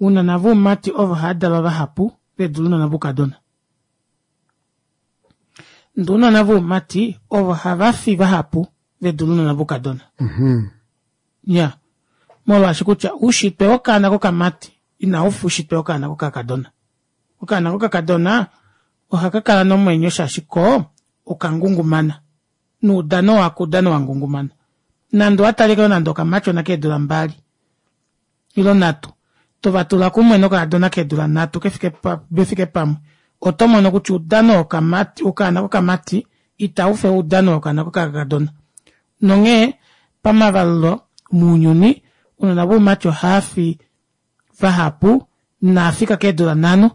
ounona voumati ovo haadalwa vahapu vedule ounona voukadona ndee ounona voumati ovo havafi vahapu vedule ounona voukadona iyaa molwaashi kutya oushitwe wokaana kokamati inaufa oushitwe wokaana kokakadona okaana kokakadona ohakakala nomwenyo shaashi koo okangungumana noudano wako oudano wangungumana nande owatale ashike nande okamatyona keedula mbali ile nhatu tovatula kumwe nokakadona keedula nhatu vefike pamwe otomono kutya oudano wokamati wokaana kokamati itaufe oudano wokaana kokakadona nonghee pamavalulo mounyuni ounona voumati ohaafi vahapu inaafika keedula nhano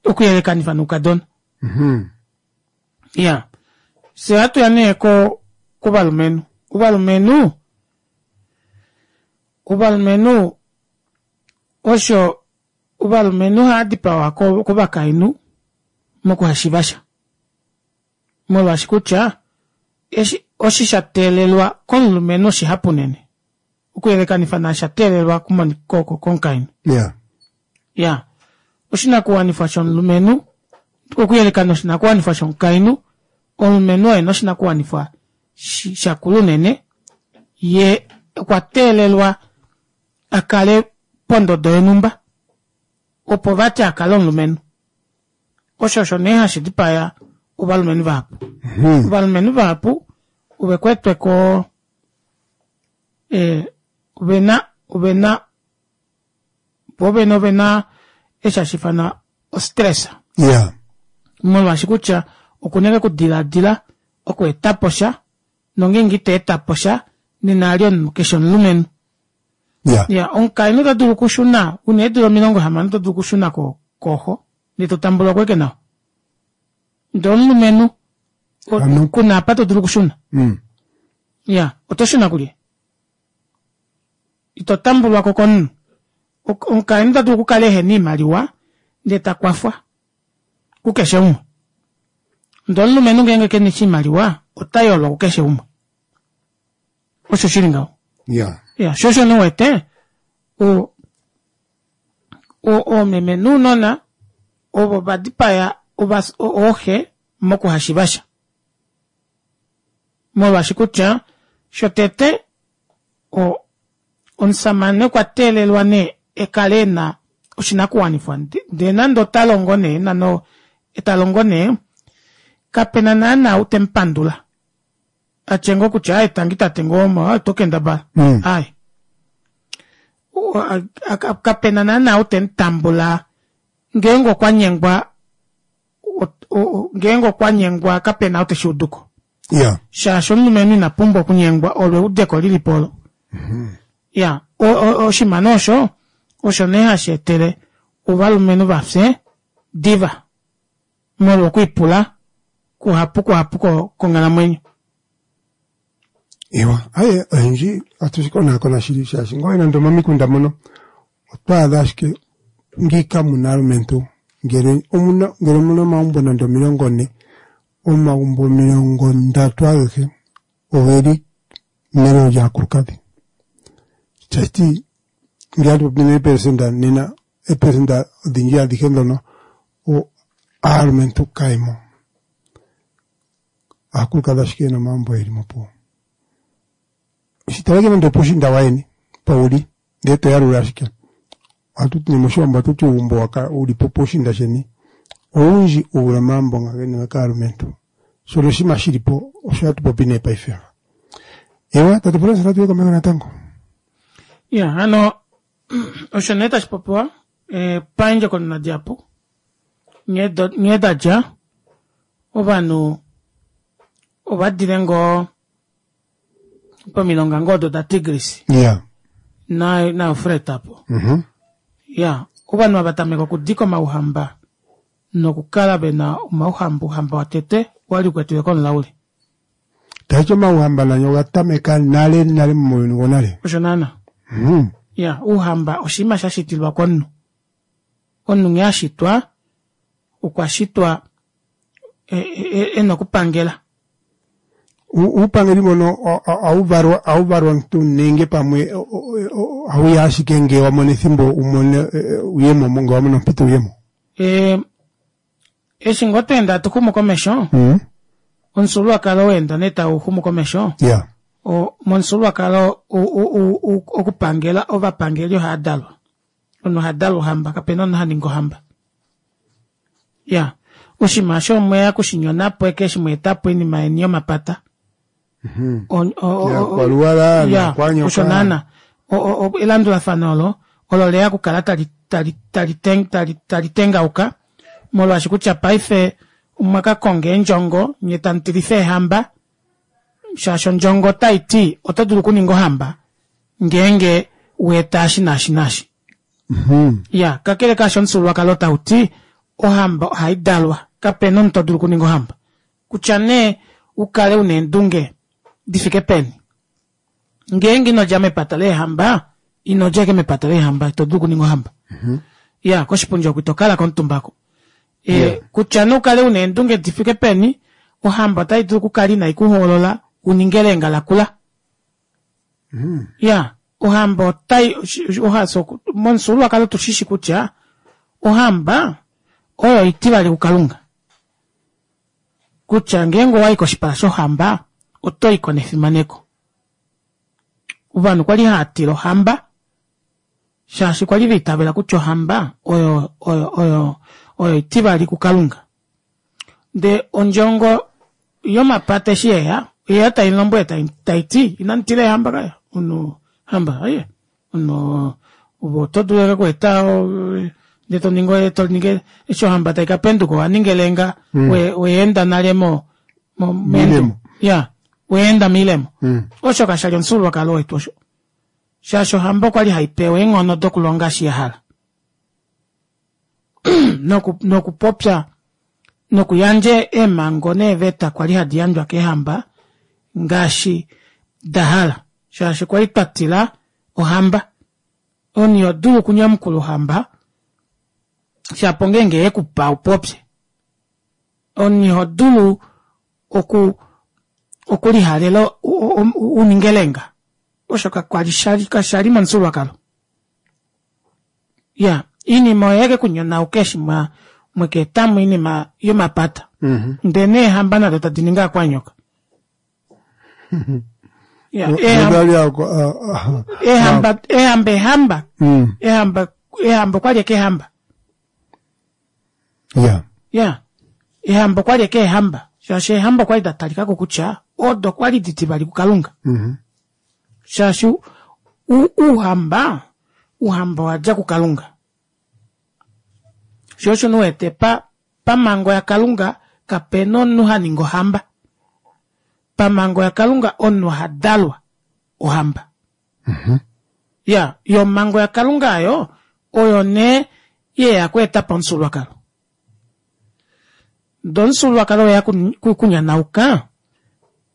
okuyelekanifa noukadona iyaa fyee ohatuya nee kovalumenhu ovalumenhu ovalumenhu osho ovalumenhu ohaadipawa kovakainhu mokuhashivasha molwaashi kutya eshi osho shateelelwa komulumenhu oshihapu unene okuyelekanifa naashi shateelelwa komukainhu iyaa oshinakuwanifwa shomulumenhu okuyeleka noshinakuwanifwa shomukainhu omulumenhu oye ena oshinakuwanifwa shakula unene yee okwa teelelwa akale pondodo yonumba opo vati akale omulumenhu osho osho nee hashi dipaya ovalumenhu vahapu ovalumenhu vahapu ovekwetwe koo ovena ovena voovene ovena eshi hashiifanwa o stress Iyaa molwaashi kutya okuna ashike okudilaadila okweetaposha nongeenge ita etaposha nena vali omunhu kefi omulumenhu Iyaa iya omukainhu otadulu okushuna una eedula omilongo hamano otodulu okushuna kooxo ndee totambulwako ashike nawa ndee omulumenhu kuna apa todulu okushuna iyaa otoshuna kulye ito tambulwako komunhu omukainhu otadulu okukala ehena oimaliwa ndee takwafwa kukeshe umwe ndee omulumenhu ngenge kena oshimaliwa otayolwa kukeshe umwe osho shili ngaho Iyaa iya shoo osho nee uwete oomeme nounona ovo vadipaya ooxe mokuhashivasha molwaashi kutya shotete omushamane okwa teelelwa nee ekale ena oshinakuwanifwa ndee nande otalongo nee talongo nee kapena naana ou temupandula atye ngoo kutya aaye tangi tate ngoo oto kendabala aaye kapena naana ou temutambula ngeenge okwanyengwa ngeenge okwanyengwa kapena ou teshuuduko Iyaa shaashi omulumenhu ina pumbwa okunyengwa olo eudeko lilipo olo iyaa oshinima nee osho osho nee hasheetele ovalumenhu vafye diva Molwa okwiipula kuhapu kuhapu konghalamwenyo. Ewa, aye oyendji ohatu shi konaakona shili shaashi ngoo nande omomikunda mono otwa adha ashike ngiika muna aalumentu ngele omuna ngele omuna omagumbo nande omilongo ne omagumbo omilongo ndatu agehe ogeli melelo lyaakulukadhi. Tashiti ngele atu popi neepelesenda nena eepelesenda odhindji adhihe ndhono aalumentu kayemo. Aakulukadhi ashike yena omagumbo yeli mo opuwo. Shitaleke nande opuushinda wayeni mpa uli ndee toyalula ashike. Ohatu ti nee moshiwambo ohatu ti uugumbo uli po puushinda sheni owundji u vule omagumbo nga geniwe kaalumentu. Shono oshinima shili po osho hatu popi nee paife. Ewa tate Florence natu ye komeho natango. Ya hano osho nee tashi popiwa eh, paendjokonona dihapu nghee da dja ovanhu ova dile ngoo pomilonga ngoo odo daTigris yeah. na naEufrat apo mm -hmm. ya ovanhu ava tameka okudika omauhamba nokukala vena omauhamba ouhamba watete wali ukwetiwe komulauli. Taiti omauhamba nanyo oga tameka nale nale muuyuni wonale. Osho naana. Mm. Ya ouhamba oshinima sha shitilwa komunhu. Omunhu nghee ashitwa okwa shitwa ena okupangela. Uupangeli mbono ohawu valwa omuntu nenge pamwe ohawuya ashike ngee wa mono ethimbo umone uyemo ngee wa mono ompito uyemo. Eshi ngoo tweenda hatu xumu komesho mm. omufyuululwakalo weenda nee tau xumu komesho yeah. Momufyuululwakalo okupangela ovapangeli ohava dalwa. Omunhu oha dalwa ohamba kapena omunhu haningi ohamba. Ya oshinima osho omweya okushinyonapo eke eshi mweetapo oinima yeni yomapata. Ya osho naana elandulafano olo olo leya okukala tali tali tali tali tali tengauka molwaashi kutya paife omwa ka konga eendjongo nye tamu tilifa eehamba shaashi ondjongo otai ti oto dulu okuninga ohamba ngeenge weeta eshi naashi naashi. Ya kakele kaasho omufyuululwakalo tau ti ohamba ohai dalwa kapena omunhu to dulu okuninga ohamba kutya nee ukale una eendunge difike peni ngeenge inodja mepata leehamba inodja ashike mepata leehamba ito dulu okuninga ohamba. Ya koshipundi oko ito kala komutumbako. E, kutya nee ukale una eendunge difike peni ohamba otai dulu okukala inai kuhoolola uninge elenga lakula. Ya ohamba otai momufyuululwakalo tushishi kutya ohamba oyo itivali kuKalunga. Kutya ngeenge owayi koshipala shohamba oto iko nefimaneko. Ovanhu kwali hava tila ohamba shaashi kwali vaitavela kutya ohamba oyo oyo oyo oyo itivali kuKalunga. Ndee ondjongo yomapata eshi yeya oyeya taimulombwele taiti inamu tila eehamba kaya omunhu hamba aye omunhu ove oto dulu ashike okweeta ndee toningi toningi eshi ohamba taikapenduka owaninga elenga weenda nale mo Miilemo. Ya weenda miilemo. Osho kashali omufyuululwakalo wetu osho. Shaashi ohamba okwali haipewa eenghono dokulonga eshi yahala. Nokupopya nokuyandja eemhango neeveta kwali hadi yandjwa keehamba ngaashi dahala shaashi kwali twatila ohamba. Omunhu iho dulu okunyamukula ohamba shapo ongeenge yekupa upopye. Omunhu iho dulu oku okulihalela uninge elenga. Osho kakwali kashali momufyuululwakalo. Ya oinima oyeya ashike okunyonauka eshi mwaka etamo oinima yomapata. Ndee neehamba nado tadi ningi aakwanyooka. Eehamba eehamba eehamba eehamba eehamba okwali ashike eehamba. Ya. Ya eehamba okwali ashike eehamba shaashi eehamba okwali datalikako kutya odo kwali ditivali kuKalunga. Shaashi ouhamba ouhamba owadja kuKalunga. Shoo osho uwete pa pamhango yaKalunga kapena omunhu haningi ohamba. Pamhango yaKalunga omunhu oha dalwa ohamba. Ya yo omhango yaKalunga aayo oyo nee yeya okweetapo omufyuululwakalo. Ndee omufyuululwakalo weya kunyanauka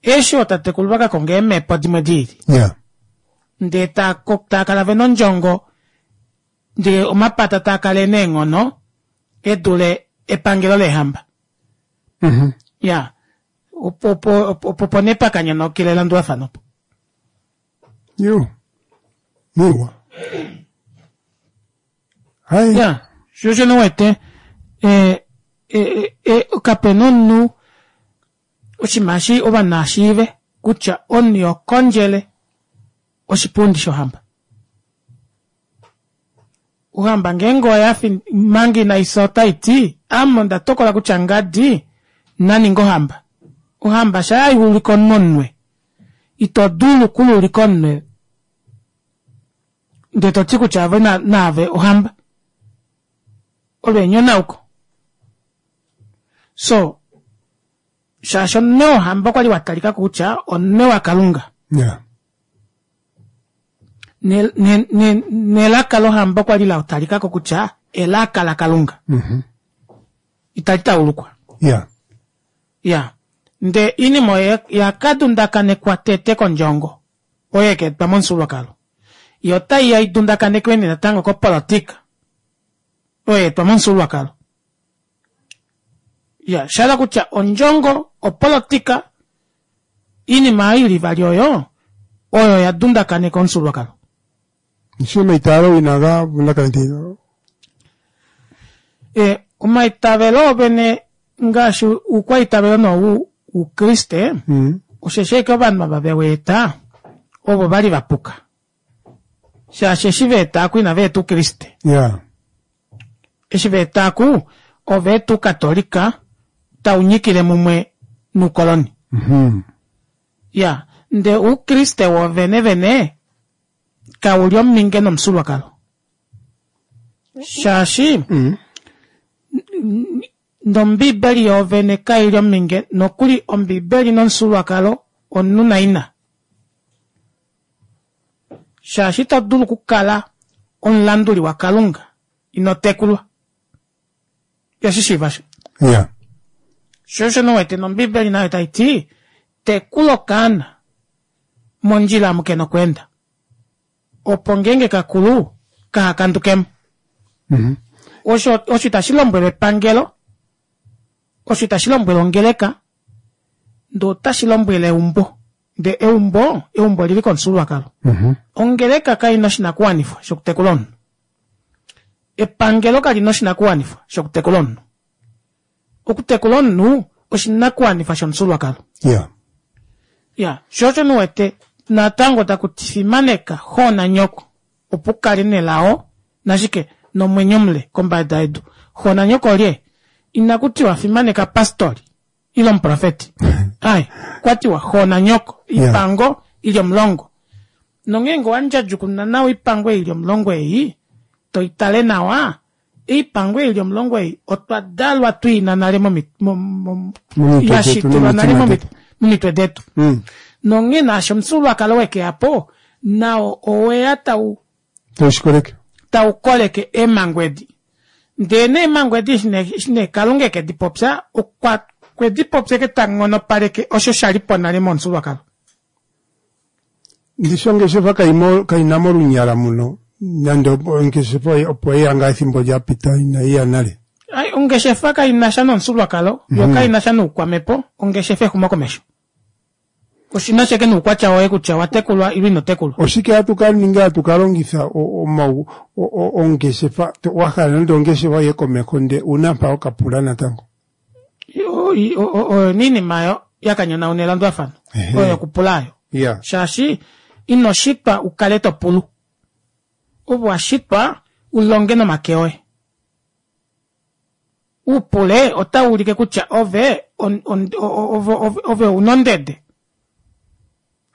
eshi ootatekulu vakakonga eemepo dimwe diili Yeah. Ndee taakala vena ondjongo ndee omapata taakala ena eenghono edule epangelo leehamba. Mhm. Iyaa opo opo opo nee pakanyonaukila elandulafano opo. Yo. Miwa. Hai. Ya, sho osho nee uwete eh, eh, eh, kapena omunhu oshinima eshi ovanhu naashiive kutya omunhu ihokondjele oshipundi shohamba. Ohamba ngeenge oyafi manga inaifya otaiti ame onda tokola kutya ngadi naninge ohamba. Ohamba shaa haulike omunhu omunwe ito dulu okuluulika omunwe ndee toti kutya ove naave ohamba. Olo enyonauko. Soo shaashi omunwe wohamba okwali watalikako kutya omunwe wakalunga. Yeah. Nelaka lohamba okwali latalikako kutya elaka lakalunga. Mhm. Itali taulukwa. Yeah. Ya. Ndee oinima oyo yakadundakanekwa tete kondjongo oyo yakaetwa momufyuululwakalo. Yoo otaiya idundakanekwe nee natango kopolitika oyo yaetwa momufyuululwakalo. Iya oshahala kutya ondjongo, opolitika, oinima oyo ili ivali oyo oyo ya dundakaneka omufyuululwakalo. Ndishi omaitaalo inaga vundakaneka E omaitavelo oovene ngaashi oukwaitavelo nee woukriste Mm. osheshi ashike ovanhu ava veweeta ovo vali vapuka shaashi eshi vaeta aaku inavaeta oukriste Yeah. eshi vaeta aaku ovaeta oukatolika taunyikile mumwe noukoloni. Mhm. Ya ndee oukriste woovene vene kauli ominge nomufyuululwakalo shaashi Mm. nombiibeli yoovene kaili ominge nokuli ombiibeli nomufyuululwakalo omunhu naina shaashi ito dulu okukala omulanduli wakalunga ino tekulwa iyoshishiiva osho. Yeah. Sho osho nee uwete nombiibeli nayo taiti tekula okaana mondjila omu kena okweenda opo ngeenge kakulu kahakandukemo. Mhm. Osho osho itashi lombwelwa epangelo, osho itashi lombwelwa ongeleka, ndee otashi lombwele eumbo. Ndee eumbo, eumbo olili komufyuululwakalo. Mhm. Ongeleka kaina oshinakuwanifwa shokutekula omunhu. Epangelo kalina oshinakuwanifwa shokutekula omunhu. Okutekula omunhu oshinakuwanifwa shomufyuululwakalo. Yeah. Ya, sho osho nee uwete natango takuti fimaneka xoo nanyoko opo ukale nelao nashike nomwenyo mule kombada yedu. Xoo nanyoko olye? Inakutiwa fimaneka pastori ile omuprofeti. Ai, okwatiwa xoo nanyoko, Yeah. oipango ili omulongo. Nongeenge owandjadjukununa nawa oipango ei ili omulongo ei, toitale nawa, oipango ei ili omulongo ei otwa dalwa twiina nale momi- mo- mo- Momitwe detu yashitilwa nale nomitima momi- detu. momitwe detu. Mm. Nonghee naashi omufyuululwakalo wekeyapo nao oweya tau Taushikoleke. tau koleke eemhango edi. Ndee nee eemhango edi eshi nee eshi nee Kalunga eke dipopya okwa okwe dipopya eke ta nghonopaleke osho shalipo nale momufyuululwakalo. Ndishi ongeshefa kaimo kaina mo olunyala muno nande ongeshefa opo yeya ngaa ethimbo lyapita inaiya nale. Ai, ongeshefa kainasha nomufyuululwakalo yo kainasha noukwamhepo, ongeshefa exumokomesho. Oshina ashike noukwatya woye kutya owatekulwa ile ino tekulwa. Oshike hatu ka ninga hatu ka longitha o- omau o- o- ongeshefa to- wahala nande ongeshefa iye komeho nde una mpa wokapula natango. O- o- o- Oyo niinima yo yakanyonauna elandulafano Ehe. oyo yokupula ayo. Yeah. Shaashi ino shitwa ukale topulu. Ove washitwa ulonge nomake oye. Upule otau ulike kutya ove on, on, ove, ove, ove una ondede.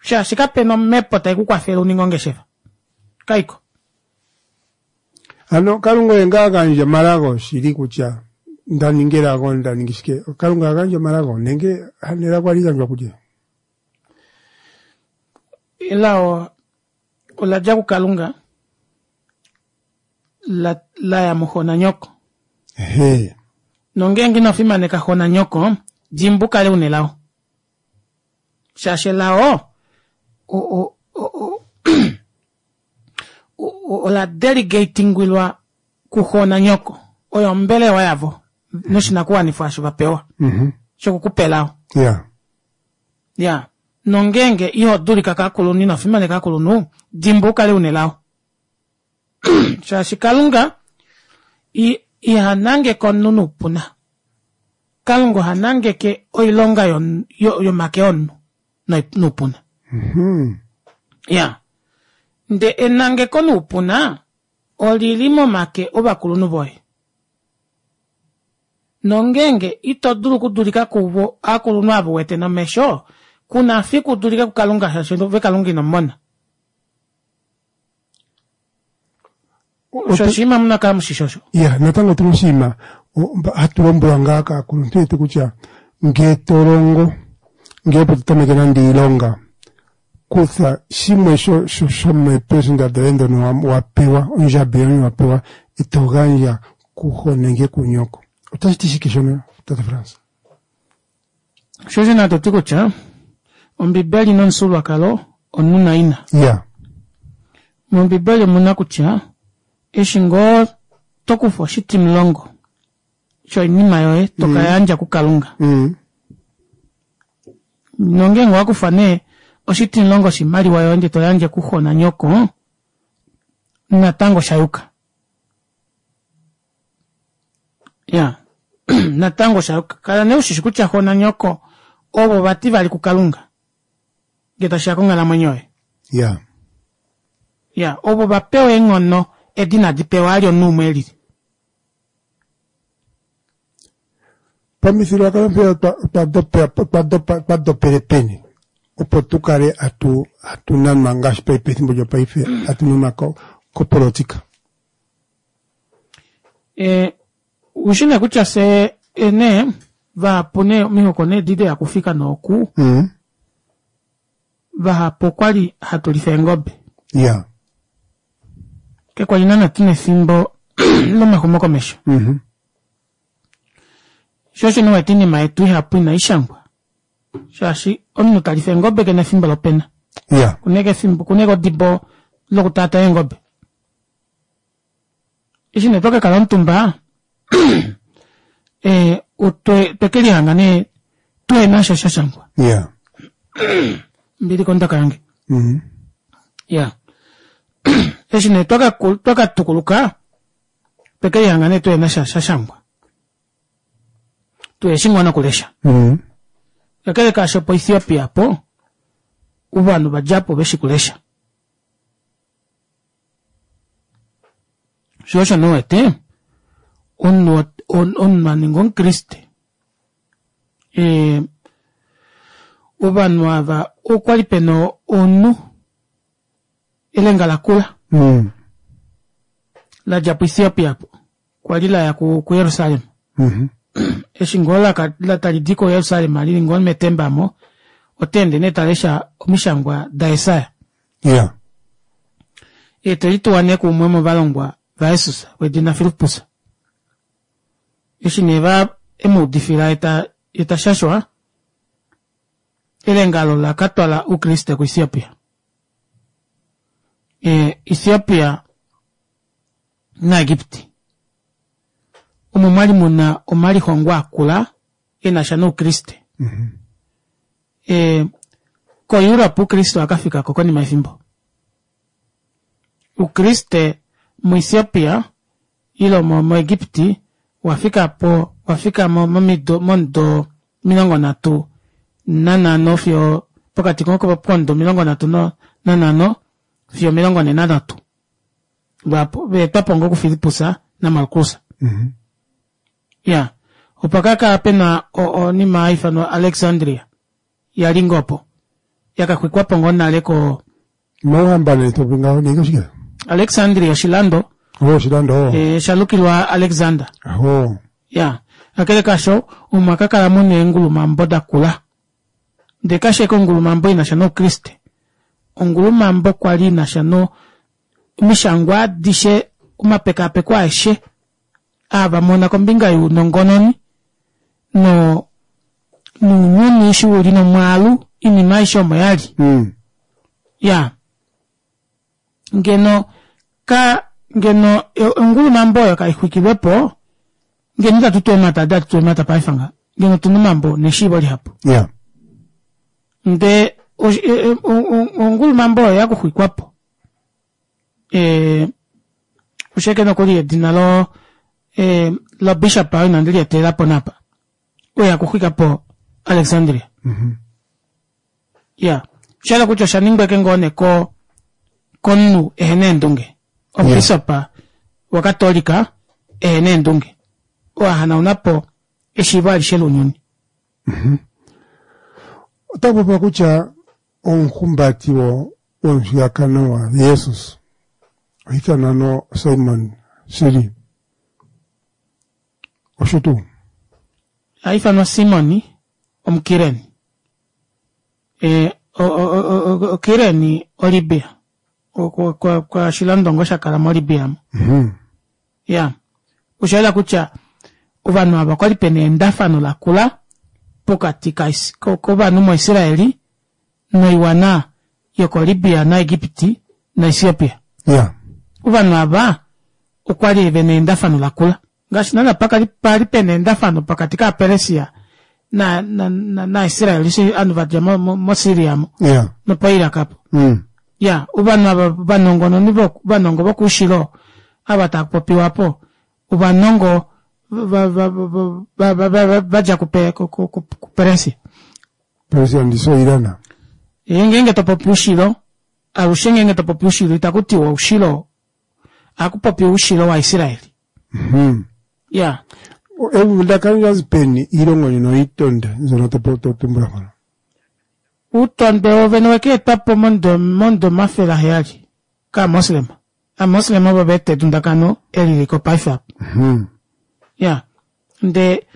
Shaashi kapena omhepo tai kukwafele uninge ongeshefa. Kaiko. Ano Kalunga oye ngaa agandja omalago shili kutya nda ninga elago nda ningi shike. Kalunga agandja omalago nenge hano elago ohali gandjwa kulye? Elao ola dja kukalunga la, laya muxo nanyoko. Ehe. Nongeenge ino fimaneka xo nanyoko, dimbu kale una elao. Shaashi elao o- o- o- ola delegatingwilwa kuxo nanyoko. Oyo ombelewa yavo noshinakuwanifwa osho vapewa shokukupa elao. Ya. Ya, nongeenge iho dulika kovakulunhu ino fimaneka ovakulunhu, dimbu ukale una elao. Shaashi Kalunga iha nangeke omunhu noupuna. Kalunga oha nangeke oilonga yomake omunhu noupuna. Iyaa, ndee enangeko noupuna olili momake ovakulunhu voye. Nongeenge ito dulu okudulika kuvo ovakulunhu ava uwete nomesho, kuna fiku udulike kukalunga shaashi ove kalunga inomumona. Osho oshinima muna okukala mushishi osho. Ya, natango otuna oshinima hatu lombwelwa ngaa kaakuluntu yetu kutya ngee to longo, ngee opo to tameke nande iilonga, kutha shimwe shomeepelesenda dhoye ndhono wa pewa, ondjambi yoye wa pewa, e to gandja kuxo nenge kunyoko. Otashi ti shike shono, tate Frans? Sho osho nee toti kutya ombibeli nomufyuululwakalo omunhu naina. Ya. Mombibeli omuna kutya eshi ngoo tokufa oshitimulongo shoinima yoye tokayandja kukalunga. Nongeenge owakufa nee oshitimulongo shoimaliwa yoye ndee toyandje kuxo nanyoko, natango oshayuka. Iyaa, natango oshayuka. Kala nee ushishi kutya xo nanyoko ovo vativali kukalunga ngee tashiya konghalamwenyo yoye. Ya. Ya, ovo vapewa eenghono edi inadi pewa vali omunhu umwe elili. Pamifyuululwakalo mpeya otwa dopele peni opo tukale hatu nanwa ngaashi pefimbo lyopaife hatu nanwa kopolotika. Oushi nee kutya fyee nee vahapu nee omihoko nee edi deya okufika nooku vahapu okwali hatulifa eengobe. Iya. Kakwali naana tuna efimbo lomaxumokomesho. Shoo osho nee uwete oinima yetu ihapu inaishangwa shaashi omunhu talifa eengobe kena efimbo lopena. Iya. Okuna ashike efimbo okuna ashike odibo lokutaataya eengobe. Eshi nee twakakala omutumba otwekelihanga nee tuhenasha shashangwa. Iya. Ombili kondaka yange. Iyaa, eshi nee twakatukuluka otwekelihanga nee tuhenasha shashangwa. Tuheshi ngoo nokulesha. Kakele kaasho po Ethiopia aapo ovanhu vadjapo veshi kulesha. Shoo osho nee uwete omunhu omunhu aninga omukriste ovanhu aava okwali pena omunhu elenga lakula ladja pu Ethiopia aapo kwali laya ku Jerusalem. Eshi ngoo talidi ko Jerusalem lili ngoo metemba aamo otaende nee talesha omishangwa da Jesaja. Iya. Yee telituwa nee kuumwe womovalongwa vaJesus wedina Filippus. Eshi nee va emuudifila yee tashashwa, elenga olo ola katwala oukriste ku Ethiopia. Ethiopia na Egipti omo mwali muna omalihongo akula enasha noukriste. Ko Europe oukriste owakafikako konima yefimbo. Oukriste mu Ethiopia ile mo Egipti owafikapo owafika momido momudo omilongo nhatu nanhano fiyo pokati komudo omilongo nhatu nanhano fiyo omilongo nhee nanhatu lwaapo vaetwapo ngoo ku Fillipus na Markus. Iyaa, opa kakala pena onima haifanwa Alexandria yali ngoo opo yakaxwikwapo ngoo nale ko Omauhamba nee topopi ngaho nenge oshike? Alexandria oshilando. Oh, oshilando. E, shalukilwa Alexander. Oh. Ya, kakele kaasho omwa kakala muna eengulumambo dakula. Ndee kashi ashike ongulumambo inasha noukriste. Ongulumambo kwali inasha no omishangwa adishe omapekaapeko aeshe aa vamona kombinga younongononi No nounyuni eshi uli nomwaalu oinima aishe omo yali. Mm. Ya ngeno ka ngeno ongulumambo oyo kaixwikilwepo ngeno itatu tu eemata adi hatu tu eemata paife ngaha ngeno otuna omambo neshiivo lihapu. Ya. Ndee ongulumambo oyo oyakuxwikwapo ee oshike nokuli edina lo ee lo bishop oo inandi liyetelelapo nee apa oyo akuxwikapo Alexandria. Iyaa oshahala kutya oshaningwa ashike ngoo nee ko komunhu ehena eendunge omubishop wakatolika ehena eendunge oo ahanaunapo eshiivo alishe lounyuni. Ota popiwa kutya omuhumbati womushiyakano waJesus oha ithanwa no Simon shili. Osho tuu? Ohaifanwa Simon omukireni. E okireni oLibya. Oshilando ngoo shakala moLibya aamo. Iyaa oshayela kutya ovanhu aava okwali pena eendafano lakula pokati kovanhu mo israeli noiwana yoko Libya na Egipti na Ethiopia. Iyaa. Ovanhu aava okwali vena eendafano lakula ngaashi naana pali pena eendafano pokati kova Persia na na Israel eshi ovanhu vadja mo Syria aamo Iyaa. nopo Iraq aapo. Mm. Iyaa ovanhu ava ovanongononi ovanongo vokoushilo ava taapopiwa aapo ovanongo vadja kuPersia. Persia ndishi o Iran. Ngeenge topopi oushilo alushe ngeenge topopi oushilo itakutiwa oushilo ohakupopiwa oushilo waIsrael. Mhm. Iyaa. Evundakano lyazi peni iilongo ndjono oyitonde mbyono to tumbula mpono? Outondwe wovene owekeetwapo momudo omafele aheyali kaamoslema. Aamoslema ovo vaeta edundakano eli liliko paife apa. Iyaa ndee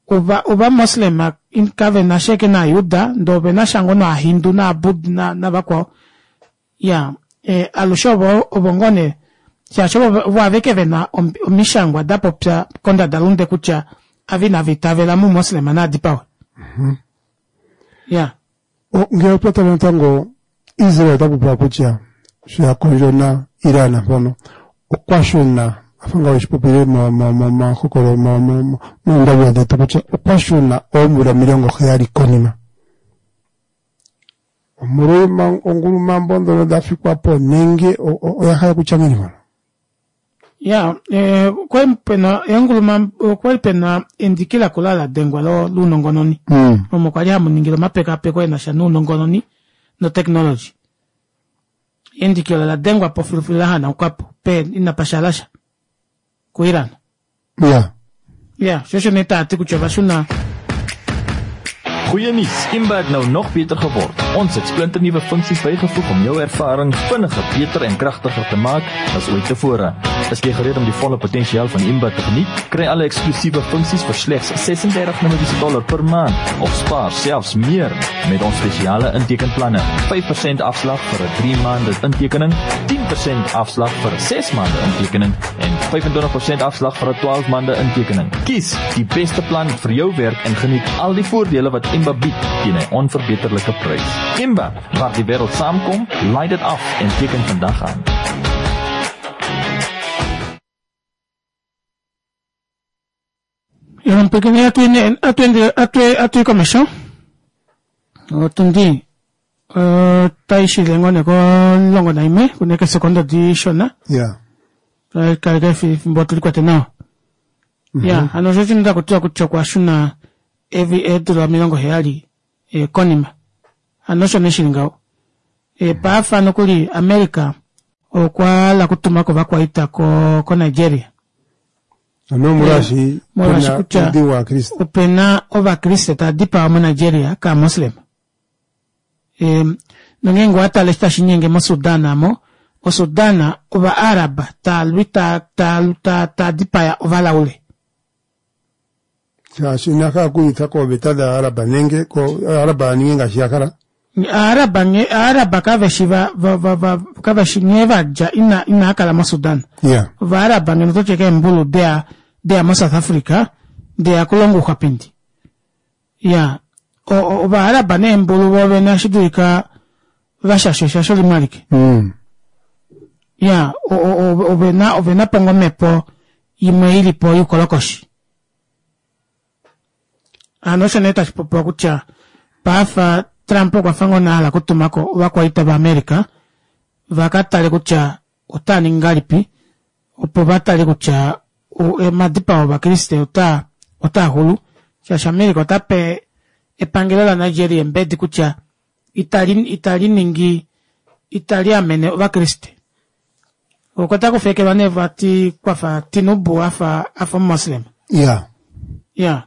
ovamoslema kavenasha ashike novayuda ndee ovenasha ngoo novahindu nova navakwao iyaa alushe ovo ngoo nee shaashi ovo aveke vena omishangwa dapopya kondadalunde kutya ava inava itavela moumoslema naadipawe. Iyaa. Ngele otwa tala natango Israel ota popiwa kutya sho ya kondjo na Iran mpono okwa shuna afa nga weshi popile momahokolo moondawula dhetu kutya okwa shuna oomvula omilongo heyali konima omolwa ongulumambo ndhono dha fikwa po nenge oya hala okutya ngiini mpono? Iyaa okwali pena eengulumambo okwali pena endiki lakula ladengwa lounongononi omo kwali hamuningilwa omapekaapeko enasha nounongononi no technology. Endiki olo oladengwapo filufilu lahanaukapo inapashalasha ku Iran. Iyaa. Iyaa shoo osho nee taati kutya ovashuna Goeie nuus, Imba het nou nog beter geword. Ons het splinternuwe funksies bygevoeg om jou ervaring vinniger, beter en kragtiger te maak as ooit tevore. Is jy gereed om die volle potensiaal van Imba te geniet? Kry alle eksklusiewe funksies vir slegs ses-en-dertig Namibiese dollar per maand of spaar selfs meer met ons spesiale intekenplanne. vyf persent afslag vir 'n drie maande intekening, tien persent afslag vir 'n ses maande intekening en vyf-en-twintig persent afslag vir 'n twaalf maande intekening. Kies die beste plan vir jou werk en geniet al die voordele wat Imba bied teen 'n onverbeterlike prys. Imba, waar die wêreld saamkom, laai dit af en teken vandag aan. Atuyi komesho otundi otaishile ngoo nee komulongo naimwe kuna ashike eesekonda dishona. Ya. Kaleka efimbo tulikwate nawa. Ya hano osho shino takutiwa kutya okwashuna eedula omilongo heyali konima. Hano osho nee shili ngaho. Paife nokuli America okwahala okutumako ovakwaita ko Nigeria. Ano omolwaashi Molwaashi pena kutya oudhigu wAakriste. Opena ovakriste tava dipawa mo Nigeria kaamoslema. Nongeenge owatale eshi tashiinyenge mo Sudan aamo, o Sudan ova Arab taalwi taadipaya ovalaule. Shaashi ina hala okwiiyutha kooveta dhAarab nenge Aarab ya ninge ngaashi ya hala. Aarab nghee Aarab kaveshi va va va va kaveshi nghee vadja ina inaakala mo Sudan. Ya. Ovaarab ngeno ototi ashike eembulu deya deya mo South Africa deya okulonga ouxwapindi. Ya Ovaaraba neembulu voovene ohashi dulika vashashwe eshasho limwe alike. Mm. Ya ovena ovena po ngoo omhepo imwe ilipo youkolokoshi. Hano osho nee tashi popiwa kutya paife Trump okwafa ngoo nee ahala okutumako ovakwaita va America vakatale kutya otaaningi ngahelipi opo vatale kutya omadipao ovakriste otaa otaaxulu shaashi America otape epangelo la Nigeria eembedi kutya itali itali ningi itali amene ovakriste. Oko takufekelwa nee vati kwafa Tinubu afa afa omumoslem. Ya. Ya.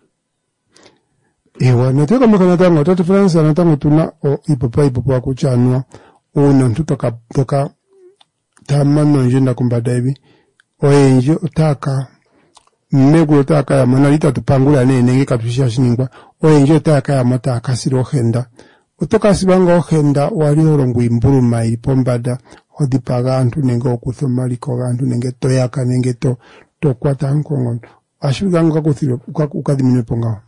Ewa, natu komeho natango otatu France natango tuna iipopiwa iipopiwa kutya anuwa uuna omuntu toka toka taamana ondjenda kombanda yevi oyendji otaya ka megulu otaya ka yamo nali itatu pangula nee nenge katu shi hashi ningwa oyendji otaya ka yamo taya ka silwa ohenda. Oto ka silwa ngaa ohenda wali ho longo iimbuluma ili pombanda ho dhipaga aantu nenge ho kutha omaliko gaantu nenge to yaka nenge to to kwata aantu koonkondo. Ohashi vulika ngaa wuka wuka dhiminwe po ngaho?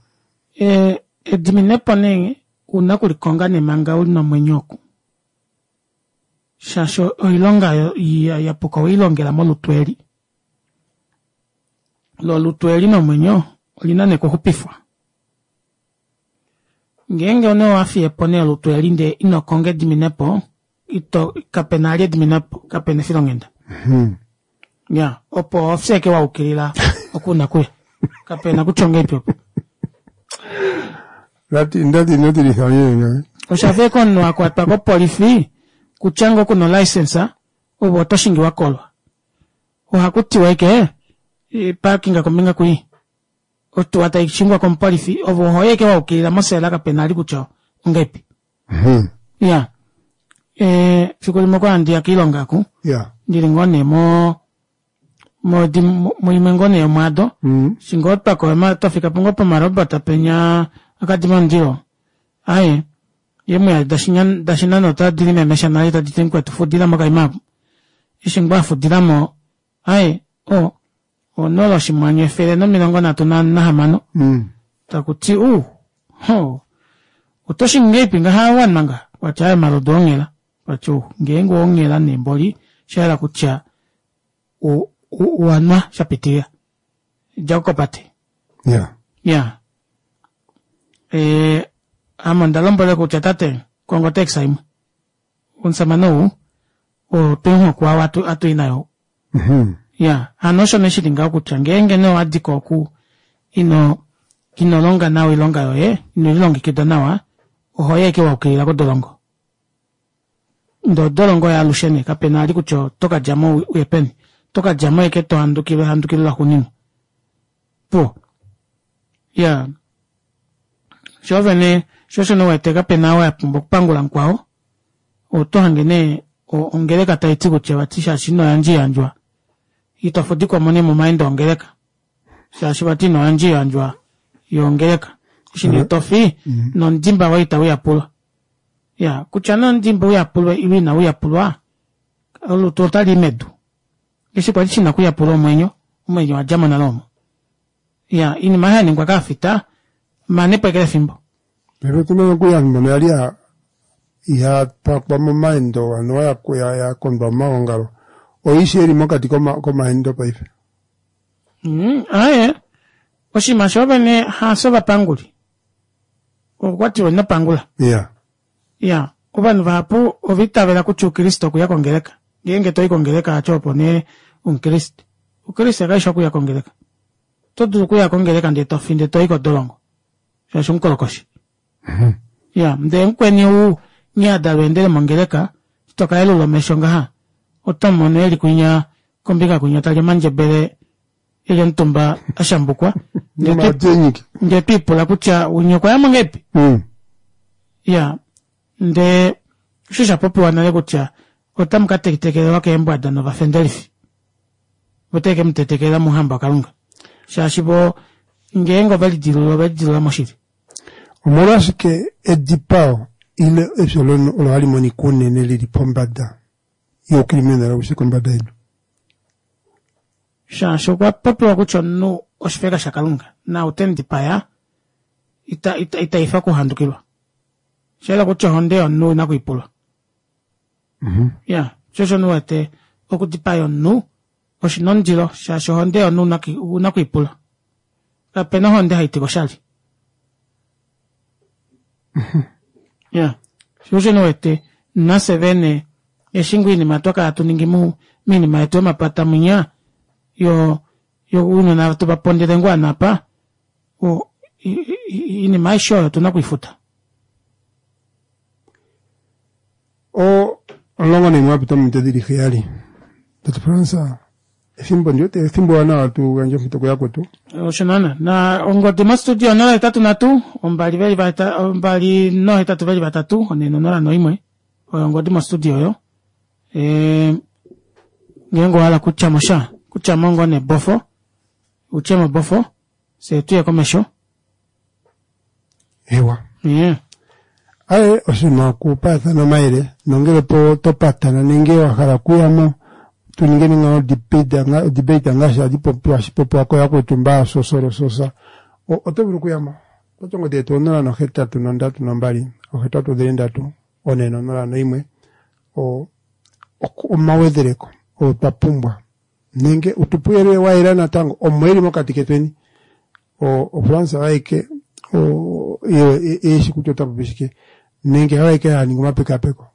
E ediminepo nee ouna okulikonga nee manga uli nomwenyo oku shaashi oilonga yapuka oweilongela molutu eli lo olutu eli nomwenyo olina nee okuxupifwa. Ngeenge nee owafiyepo nee olutu eli ndee inokonga ediminepo ito kapena vali ediminepo kapena efilonghenda. Iyaa opo ohofye ashike wayukilila oku una okuya kapena kutya ongahelipi opo. Ndati ino tilitha ndje. Oshafa ashike omunhu akwatwa kopolifi kutya ngoo kuna olicense ove oto shingi wakolwa. Ohakutiwa ashike parkinga kombinga kwii otuwa taishingwa komupolifi ove ohoyi ashike wayukilila mosela kapena vali kutya ongahelipi. Iyaa efiku limwe okwali handiya koilonga oku ndili ngoo nee mo muimwe ngoo nee yomwaado eshi ngoo twakoya twafika ngoo pomarobot penya akadima omundilo aaye eemwiya dashinane otadi limemesha nale taditi mukwetu fudilamo okaima aapo eshi ngoo afudilamo aaye oo onola oshimwanyu efele nomilongo nhatu nahamano takuti uu hoo otoshingi ngahelipi ngaha wanwa ngaha okwati aaye omalodu oonghela okwati ou ngeenge oonghela nee mboli oshayela kutya owanwa shapitilila djako kopate. Ya. Ya ee ame onda lombwela kutya tate konga otaxi imwe omushamane ou otwemuhokwa ou atwii naye ou. Iyaa hano osho nee shili ngaho kutya ngeenge nee owadiko oku ino inolonga nawa oilonga yoye ino lilongekida nawa ohoyi ashike wayukilila kodolongo. Ndee odolongo yaalushe nee kapena vali kutya oto kadjamo uye peni oto kadjamo ashike tohandukilwa ehandukilo laxuuninwa. Opuwo iyaa shoovene shoo osho nee uwete kapena ou apumbwa okupangula mukwao oto hange nee ongeleka taiti kutya vati shaashi inoyandja oiyandjwa ito fudikwamo nee momaendo ongeleka shaashi vati inoyandja oiyandjwa yongeleka eshi nee tofi nomudimba woye itauyapulwa. Iyaa kutya nee omudimba uyapulwe ile inauyapulwa olutu otalii medu eshi kwali shina okuyapulwa omwenyo omwenyo owadjamo nale omo. Iyaa oinima aayo yaningwa kovafita manepo ashike lefimbo. Paife otuna nokuli ovanhu mbono yali ihapakwa momaendo anuwa yakondwa momaongalo oishi eli mokati komaendo paife. Aaye oshinima shoovene hafye ovapanguli okwatiwa ino pangula. Iya. Iya ovanhu vahapu ova itavela kutya oukriste okuya kongeleka ngeenge toyi kongeleka vati opo nee omukriste. Oukriste kaifi okuya kongeleka oto dulu okuya kongeleka ndee tofi ndee toyi kodolongo shaashi omukolokoshi. Iya ndee mukweni ou nghee adalwa endele mongeleka eshi tokayelula omesho ngaha oto mumono eli kwinya kombinga kwinya tali omandjebele eli omutumba ashambukwa ndee twiipula kutya winya okwayamo ngahelipi. Iyaa ndee osho shapopiwa nale kutya otamu katetekelelwa keembwada novafendelifi vo tave kemutetekelela mouhamba wakalunga shaashi voo ngeenge ovelidilulula ovelidilulula moshili. Omolwashike edipao ile efyo lomunhu olo hali monika unene lili pombada youcriminal aushe kombada yedu? Shaashi okwa popiwa kutya omunhu oshifeka shakalunga naau temudipaya Ita ita itaifa kuhandukilwa. Shayela kutya ohonde yomunhu ouna kuipulwa. Mhm. Ya, sho osho nuwete okudipaya omunhu oshina omundilo shaashi ohonde yomunhu ouna kuipula. Kapena ohonde haitika oshali. Ya, sho osho nuwete nafye vene eshi ngoo oinima twakala hatuningi moinima yetu yomapata munya yoo ounona tovapondele ngoo ovanhu aapa oinima aishe oyo otuna okwiifuta. O omulongo naimwe wapita ominute dili heyali tate Frans efimbo ndi wete efimbo ewanawa tu gandje ompito kuyakwetu. Osho naana na ongodi mostudio onola hetatu nhatu ombali veli ombali nohetatu veli vatatu onhe nonola noimwe oyo ongodi mostudio oyo ee ngeenge owahala okutyamosha kutyamo ngoo nee bofo utyemo bofo fyee tuye komesho. Eewa. Ee. Aye oshinima okupaathana omayele nongele po to patana nenge wa hala okuyamo tu ningeni ngaa odebate ngaashi hadi popiwa hashi popiwa kooyakwetu mba sosolososa oto vulu okuyamo okwati ongodi yetu onola nohetatu nondatu nombali ohetatu dhili ndatu one nonola noimwe omawedheleko oo twa pumbwa nenge utupe ouyelele wayela natango omo eli mokati ketweni o France aeke eshi kutya otapopi shike nenge hayo aeke haningi omapekapeko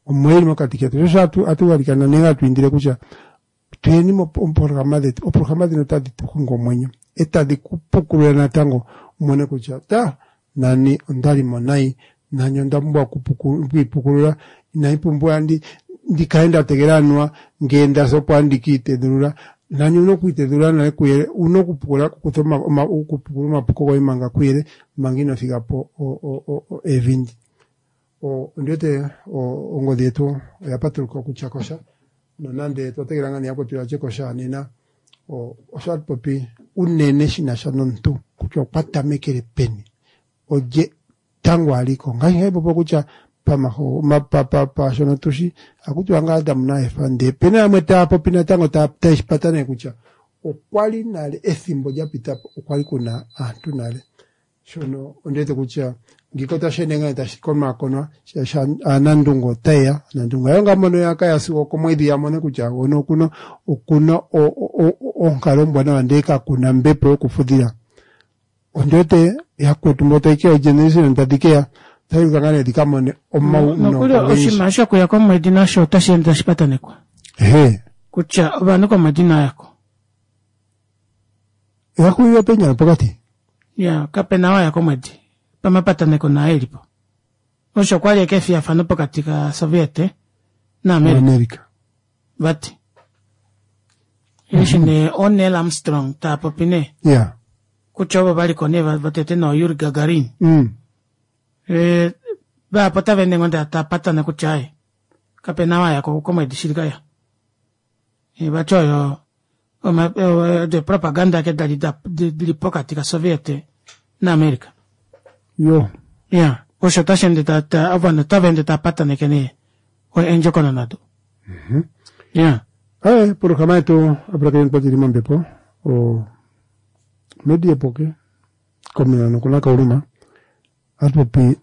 omo eli mokati ketu shoo osho hatu galikana nenge hatu indile kutya tuyeni moprograma dhetu oprograma dhino otadi tu xungu omwenyo etadi kupukulula natango umone kutya ta nani ondalimo nai nani onda pumbwa okwiipukulula inandi pumbiwa ndikale ndategelela anuwa ngee ndasi opo handi kiitedhulula nani ouna okwiitedhulula nale kuyele ouna okupukula okupukula omapuko goye manga kuyele manga ino figapo evi ndi. Ondiwete ongodhi yetu oya patuluka okutya kosha nonande otwa tegelela ngaa nee yakwetu yatye kosha nena osho hatu popi unene shinasha nomuntu kutya okwa tamekele peni olye tango aliko ngaashi hayi popiwa kutya paashono tushi ohakutiwa ngaa Adam naEva ndee opena yamwe taya popi natango taye shi pataneke kutya okwali nale ethimbo lya pitapo okwali kuna aantu nale shono ondiwete kutya ngiika otashi ende ngaa tashi konakonwa shaashi aanandunge otayeya aanandunge hayo ngaa mbono yakaya sigo okomwedhi ya mone kutya hono okuna okuna onkalo ombwanawa ndee kakuna ombepo yokufudhila. Ondiwete yakwetu mbo tayi keya ogeneration tadhi keya otadhi ka ngaa nee dhika mone omaunongo Nokuli ogendji. oshinima shokuya komwedi nasho otashi ende tashi patanekwa Ehe, kutya ovanhu komwedi inayako. oya hulile peenyala pokati. Ya, kapena waya komwedi pamapataneko naa elipo. Osho kwali eke efiyafano pokati ka Soviet naAmerica America. vati. Eshi nee oNeil Armstrong taapopi nee Yeah. kutya ovo valiko nee votete noo Yuri Gagarin. Mm. E, vahapu otava ende ngoo ndee tapatana kutya aaye kapena waya komwedi shili kaya. E, vati oyo odo propaganda ake dali dili pokati ka Soviet naAmerica. Yo. Ya, osho otashi ende ta ovanhu otava ende tava pataneke nee eendjokonona odo. Ya. Aye, programa yetu apulakeni twatili mombepo o media poke komina nokuna kauluma atupopi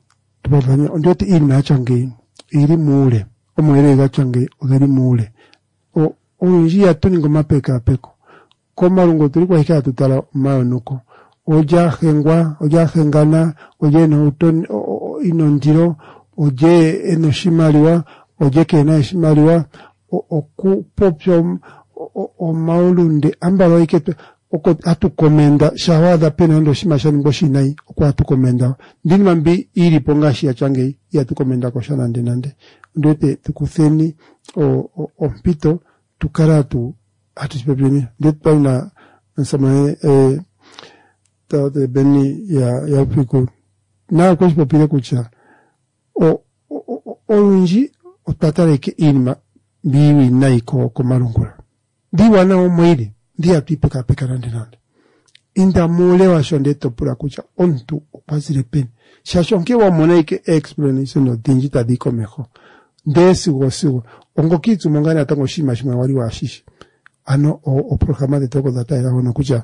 tupathanye ondiwete iinima yatya ngeyi oyili muule omauyelele gatya ngeyi ogeli muule o olundji ihatu ningi omapekapeko komalungo otuli ashike hatu tala omayonuko olye ahengwa olye ahengana olye ena ena ondilo olye ena oshimaliwa olye keena oshimaliwa okupopya omaulunde ambala ashike oko hatu komenda shaa waadha pena nande oshinima shaningwa oshiwinayi oko hatu komenda ndee iinima mbi ilipo ngaashi yatya ngeyi ihatu komenda kosha nande nande ondiwete tukutheni ompito tukale hatu hatu shipopileni ndee twali na omusamane tate Benny ya Ufiku naye okweshi popile kutya olundji otwa tala ashike iinima mbi iiwinayi komalungula ndee iiwanawa omo yili ndee ihatu yi pekapeka nande nande. Inda muule washo ndee topula kutya omuntu okwa zile peni shaashi onkee wamona ashike explanation odhindji tadhiyi komeho ndee sigo sigo ongokiitsumo ngaa natango oshinima shimwe wali waashishi. Ano oprograma dhetu oko dha taalela hono kutya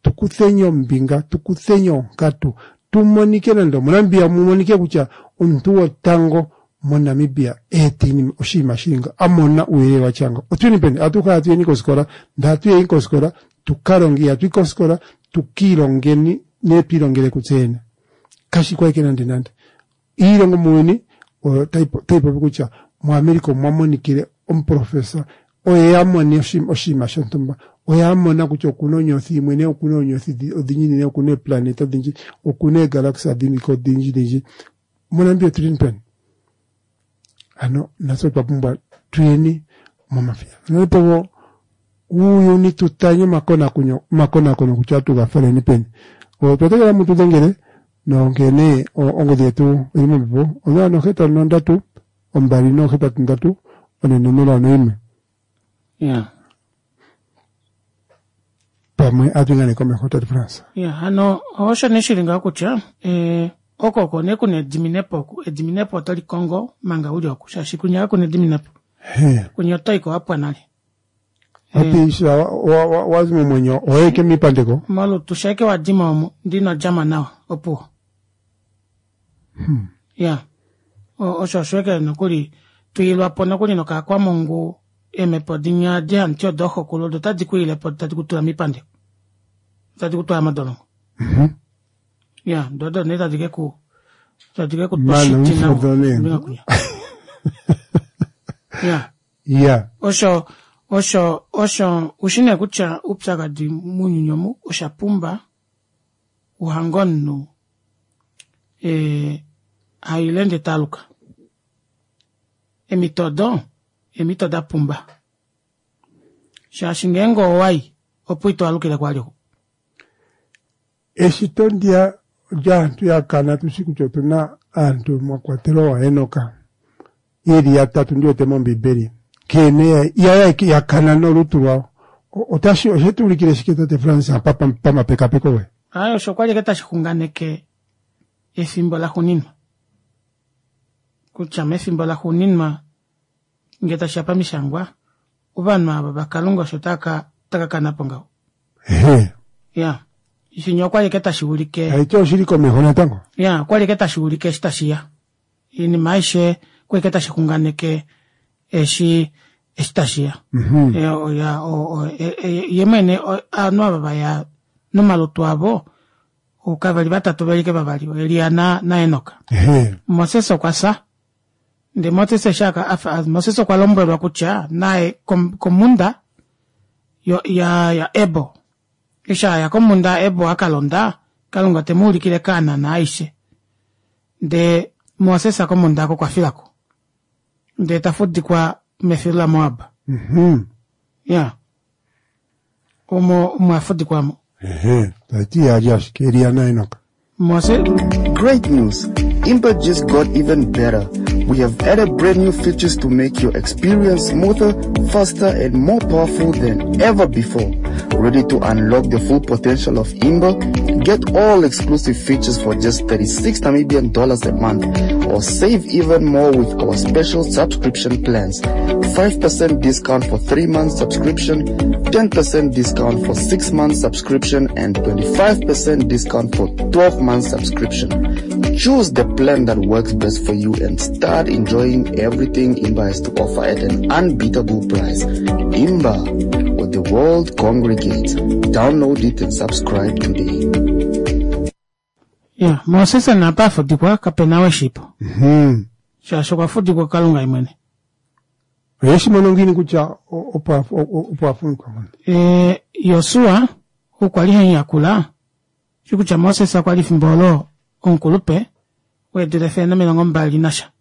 tukutheni ombinga tukutheni onkatu Tumonike nande omoNamibia mumonike kutya omuntu wotango moNamibia eeta oshinima shili nga amona ouyelele watya nga. Otuyeni peni? Atuhe atuyeni kofikola, ndee atuyeni kofikola tukalonge, ihatuyi kofikola tukiilongeni nee twiilongele kutse yene. Kashi ko ashike nande nande. Iilongo muuyuni otayi popi kutya muAmerica omwa monikile omuprofessor oye amone oshinima shontumba, oye amona kutya okuna onyothi imwe ne okuna eenyothi odhindji ne okuna eeplaneta odhindji, okuna eegalaxy dhiliko odhindji dhindji. MoNamibia otuli peni? Ano natse otwa pumbwa tuyeni momafiyafanepo uuyuni tutanye omakonakono kutya atuga faleni peni. Otwa tegelela mutu dhengele nonkene ongodhi yetu oyili mombepo onola nohetatu nondatu ombali noohetatu ndatu one nonola noyimwe. Ya. Pamwe atu nee komeho tate France. Ya, hano osho nee shili ngaho kutya eh, oko oko nee kuna ediminepo oku. Ediminepo oto likongo manga uli oku, shaashi kunya kakuna ediminepo. He. Kunya otoiko wapwa nale. Wapiisha wazi momwenyo owaike miipandeko. Molutu shaike wadima omo ndino djamo nawa opuwo. Hmm. Ya. Osho osho eke nokuli twiilwapo nokuli nokaakwamungu eemhepo dinya dihamuti odooxokulu odo otadi kwiilepo tadi kutula miipandeko. Tadi kutwala modolongo. Mhm. Ya, doo odo nee tadi keku tadi keku Mana twa shiti umfudo nee. nawa. Kunya. Ya. Ya. Osho osho osho ushi nee kutya oupyakadi mounyuni omu osha pumba uhange omunhu ee haile ndee taaluka. Emito odo eemito dapumba shaashi ngeenge owayi opo ito alukile kwali oku. Eshito ndiya lyaantu yakana tushi kutya otuna aantu mwa kwatelwa waHenoka yeli yatatu ndiwete mOmbiibeli nkene ya yakana nolutu lwawo. Otashi oshetu ulikile shike tate Frans apa pamapekapeko goye? Aye osho kwali eke tashi xunganeke efimbo laxuuninwa. Kutya mefimbo laxuuninwa ngee tashiya pamishangwa ovanhu ava vakalunga osho taka takakanapo ngaho. Ehe. Ya. Shinya okwali eke tashi ulike. Taiti oshili komeho natango? Ya, okwali eke tashi ulike eshi tashiya. Oinima aishe okwali eke tashi xunganeke eshi eshi tashiya. Mhm. Ya, o, ye mwene ovanhu ava vaya nomalutu avo kavali vatatu veli ike vavali Elia na naEnoka. Ehe. Moses okwa fya. Ndee Moses eshi afa Moses okwa lombwelwa kutya naye komhunda yo ya ya Ebo. Eshi aya komhunda Ebo akalonda, Kalunga temuulikile Kanaan aishe. Ndee Moses komhunda oko okwa filako. Ndee tafudikwa mefilu laMoab. Mhm. Ya. Omo omo afudikwa mo. Ehe. Taiti yaali ashike Elia naEnoka. Moses Great news! Imba just got even better. We have added brand new features to make your experience smoother, faster, and more powerful than ever before. Ready to unlock the full potential of Imba? Get all exclusive features for just thirty-six Namibian dollars a month, or save even more with our special subscription plans. five percent discount for three months subscription, ten percent discount for six months subscription, and twenty-five percent discount for twelve months subscription. Choose the plan that works best for you and start enjoying everything Imba has to offer at an unbeatable price. Imba, where the world congregates. Download it and subscribe today. Ya, Moses napa afudikwa kapena weshipo. Mhm. Shaashi okwa fudikwa kuKalunga ye mwene. Oyeshi mono ngiini kutya opo opo afudikwa? E, Josua okwa li hanyakula shi kutya Moses okwa li fimbo olo omukulupe weedula efele nomilongo mbali nasha.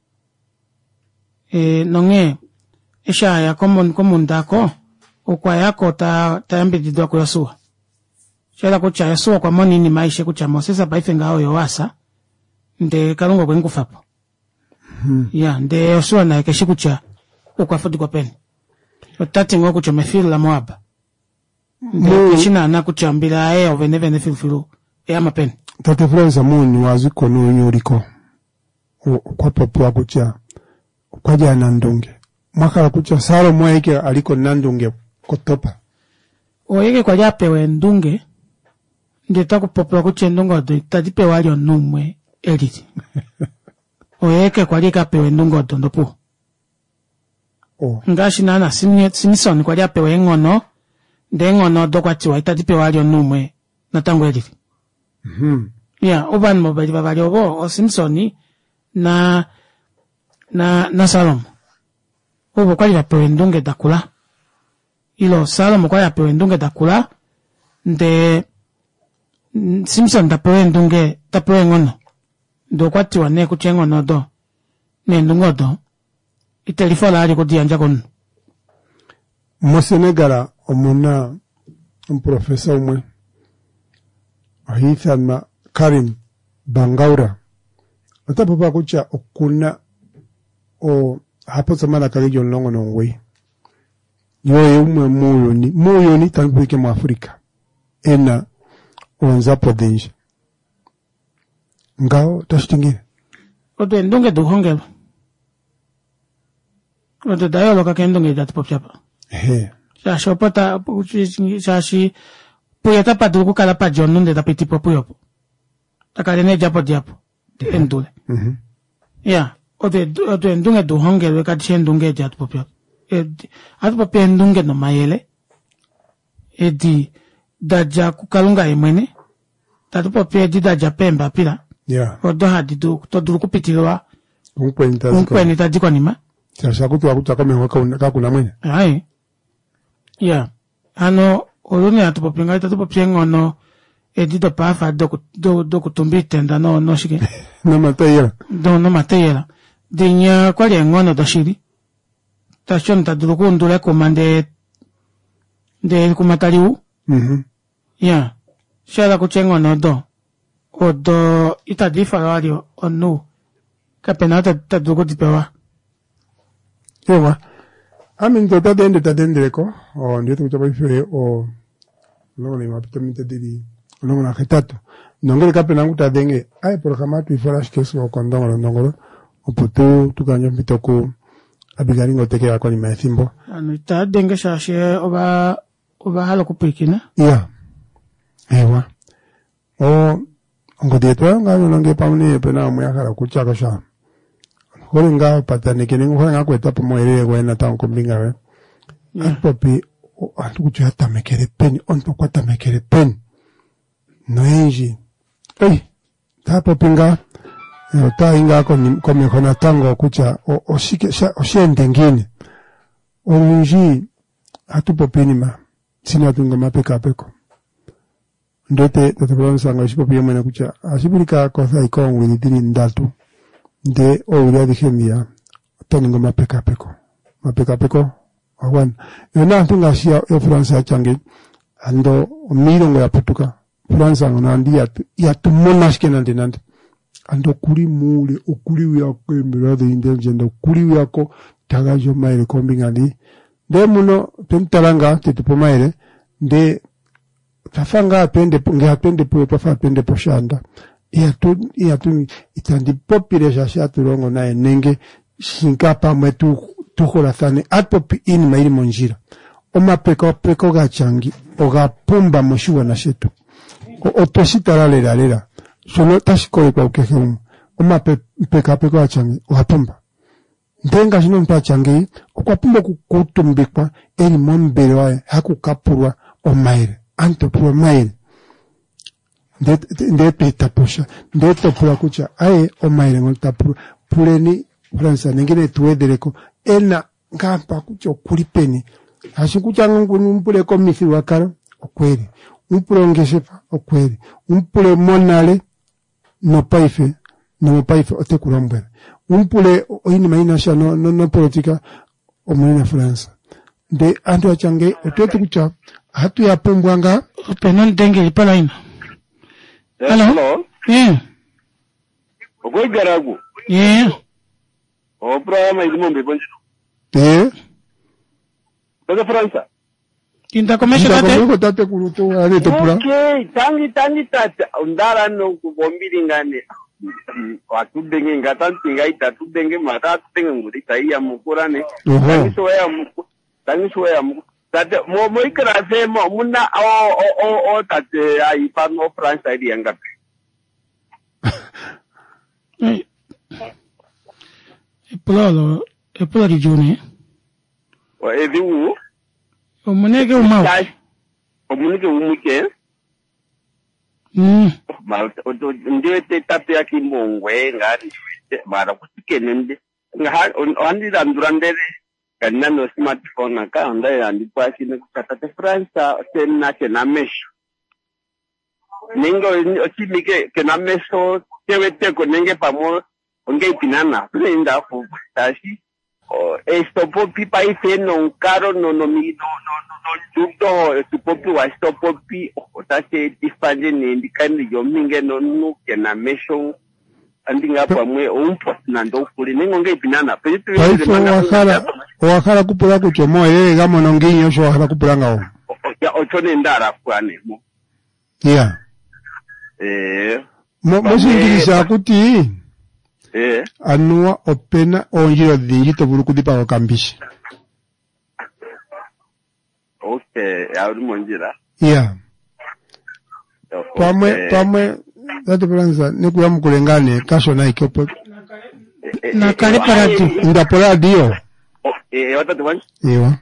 E, nonghee eshi aya komhunda oko okwa yako ta, ta yambididwa kuJosua. Shayela kutya Josua okwa mona oinima aishe kutya Moses paife ngaho oye wasa ndee Kalunga okwe mukufapo. Hmm. Ya, ndee Josua naye keshi kutya okwa fudikwa peni. Otati ngoo kutya omefilu laMoab. Ndee keshi naana kutya ombila yaye ovene vene filufilu eyama peni. Tate Florence muuyuni wa ziko nuuyuni uliko okwa popiwa kutya okwa li aanandunge. Mwa hala kutya Salomo oye a li ko omunandunge kotopa. Oye ke kwali a pewa eendunge Ndee takupopiwa kutya eendunge odo itadi pewa ali omunhu umwe elili. Oye eke kwali ekapewa eendunge odo ndopuwo. Oh. Ngaashi naana Simson kwali apewa eenghono, ndee eenghono odo kwatiwa itadi pewa ali omunhu umwe natango elili. Mhm. Ya, ovanhu veli vavali ovo oSimson na na naSalomo. Ovo okwali vapewa eendunge dakula. Ilo Salomo okwali apewa eendunge dakula ndee Simson tapewa eendunge tapewa eenghono. Ndee okwatiwa nee kutya eenghono odo neendunge odo itelifola ali okudiyandja komunhu. MoSenegal omuna omuprofesa umwe oha ithanwa Karim Bangaura. Ota popiwa kutya okuna o oha popi omalaka geli omulongo nomugoyi. Ye oye umwe muuyuni, muuyuni tandi popi ike muAfrica ena oonzapo odhindji. Ngawo otashi ti ngiini? Odo eendunge douhongelwa. Odo da yooloka keendunge edi hatu popi apa. Ehe. Shaashi opo ta shaashi puye otapa dulu okukala padja omunhu ndee tapiti po puye opo. Takale needjapo dihapu emudule. Mhm. Ya, odo odo eendunge douhongelwe kadi shi eendunge edi hatu popi apa. Edi ohatu popi eendunge nomayele edi dadja kuKalunga yemwene, tatu popi edi dadja peembapila Ya. odo hadi dulu to dulu okupitililwa Omukweni tazi ko. kumukweni tadi konima. Shaashi ohaku tiwa kutya komeho kakuna kakuna mwene. Ai. Ya. Hano oluni hatu popi ngaho itatu popi eenghono edi dopaafa doku do- dokutumba oitenda no noshike Nomatayiyela. do nomateyela. Dinya okwali eenghono doshili. Tashi omunhu tadulu okuundula ekuma ndee ndee ekuma tali wu. Mhm. Ya. Shahala kutya eenghono odo odo itadi ifala vali omunhu kapena ou ta dulu okudipewa. Ewa. Aminto otadi ende tadi endeleko. Ondi wete kutya paife o omulongo naimwe wapita ominute dili omulongo nahetatu. Nongele kapena ngu ta dhenge, aye polohalama ohatu ifala ashike sigo okondongolo ndongolo opo tu tukandje ompito ku Abigail ngo tekeya konima yethimbo. Ovanhu itava denge shaashi ova ova hala okupwilikina. Ya. Ewa. O ongodhi yetu oyo ngaa ndjono ngele pamwe nee opena umwe a hala okutya ko sha. Ohole ngaa hopataneke nenge ohole ngaa okweeta po omauyelele goye natango kombinga yoye. Ohatu popi aantu kutya oya tamekele peni, omuntu okwa tamekele peni. Noyendji ei otaya popi ngaa otaya yi ngaa komeho natango kutya oshike osha ende ngiini. Olundji ohatu popi iinima tse inatu ninga omapekapeko. Ondi wete tate Florence eshi popi yemwene kutya ohashi vulika a kotha ashike oowili dhili ndatu ndee oowili adhihe dhiya ota ningi omapekapeko. Omapekapeko oga gwana. Yo naantu ngaashi yoFrance yatya ngeyi ando omiilongo ya putuka France ngono ando ihatu mono ashike nande nande. Ando okuli muule okuli hwiya keembelewa dhointelligent okuli hwiyako ta gandja omayele kombinga ndji. Ndee muno otwemu tala ngaa tetupe omayele ndee otwafa ngaa hatu ende ngee hatu ende puye otwafa hatu ende poshaanda. Ihatu ihatu itandi popile shaashi hatu longo naye nenge shinga pamwe tu tuholathane ohatu popi iinima yili mondjila. Omapekapeko gatya ngi oga pumba moshigwana shetu. Otweshi tala lela lela shono otashi kolekwa kukehe gumwe. Omapekapeko gatya ngi oga pumba. Ndele ngaashi nomuntu atya ngeyi okwa pumbwa okukuutumbikwa eli mombelewa ye haku ka pulwa omayele. Aantu to pulwa omayele ndee to eta po sha ndee to pula kutya aye omayele ngono ta pulwa puleni France nenge ne tuwedheleko ena ngaa mpa kutya okuli peni. Shaashi kutya umupule komithigululwakalo okweli, umupule ongeshefa okweli, umupule monale nopaife nomopaife oteku lombwele. Umupule oinima inasha nopolitika omuli naFrance. Ndee aantu yatya ngeyi otu wete kutya ohatu ya pumbwa ngaa. Opena omudengeli polaina. Hello. Hello. Yeah. Okwegaraku. Yeah. Oprograma ili mombepo ndjino. Ee. Tate Fransa. Inda komesho tate. Inda komesho tatekulu to ale to pula. Okay, tangi tangi tata. Ondala no kubombili ngane. Watudenge ngata ntinga itatudenge mata atudenge nguri taiya mukura ne. Oho. Tangi soya muku. Tangi soya muku. Tate mo moikrase mo muna o o o o tate aifano France ili yangapi. Eh, epulo olo epulo lidjuu nee. O edhigu. Omuneke umau. Omuneke umuke. Mm. Mara ndiwete tate yakimbongwe ngari mara kusikene ndi ohandi landula ndele kandina no smartphone aka onda handi pwakine kutya tate France tena kena mesho nenge oshimi kena mesho teweteko nenge pamwe ongeipinana tuneindafu tashi esitopopi paife nonkalo nondjundo oshipopiwa shitopopi otashi etifa nje nee ndikale ndili ominge nomunhu kena mesho andinga pamwe oumposi nande oukuli nenge ongeipinana Paife owa hala owa hala okupula kutya omauyelele ga mono ngiini osho wa hala okupula ngawo. Osho nee ndahala kupula nee mo. Ya. Eh. Mo mOshiingilisa akuti Eh. anuwa opena oondjila odhindji to vulu okudhipaga okambishi. Okay, ya uli mondjila. Ya. Pamwe pamwe tate Fransa nekuyamukule ngaa nee kashona ike opo Nakale pa radio. ndapo radio. Eh, watate wanje. Ewa.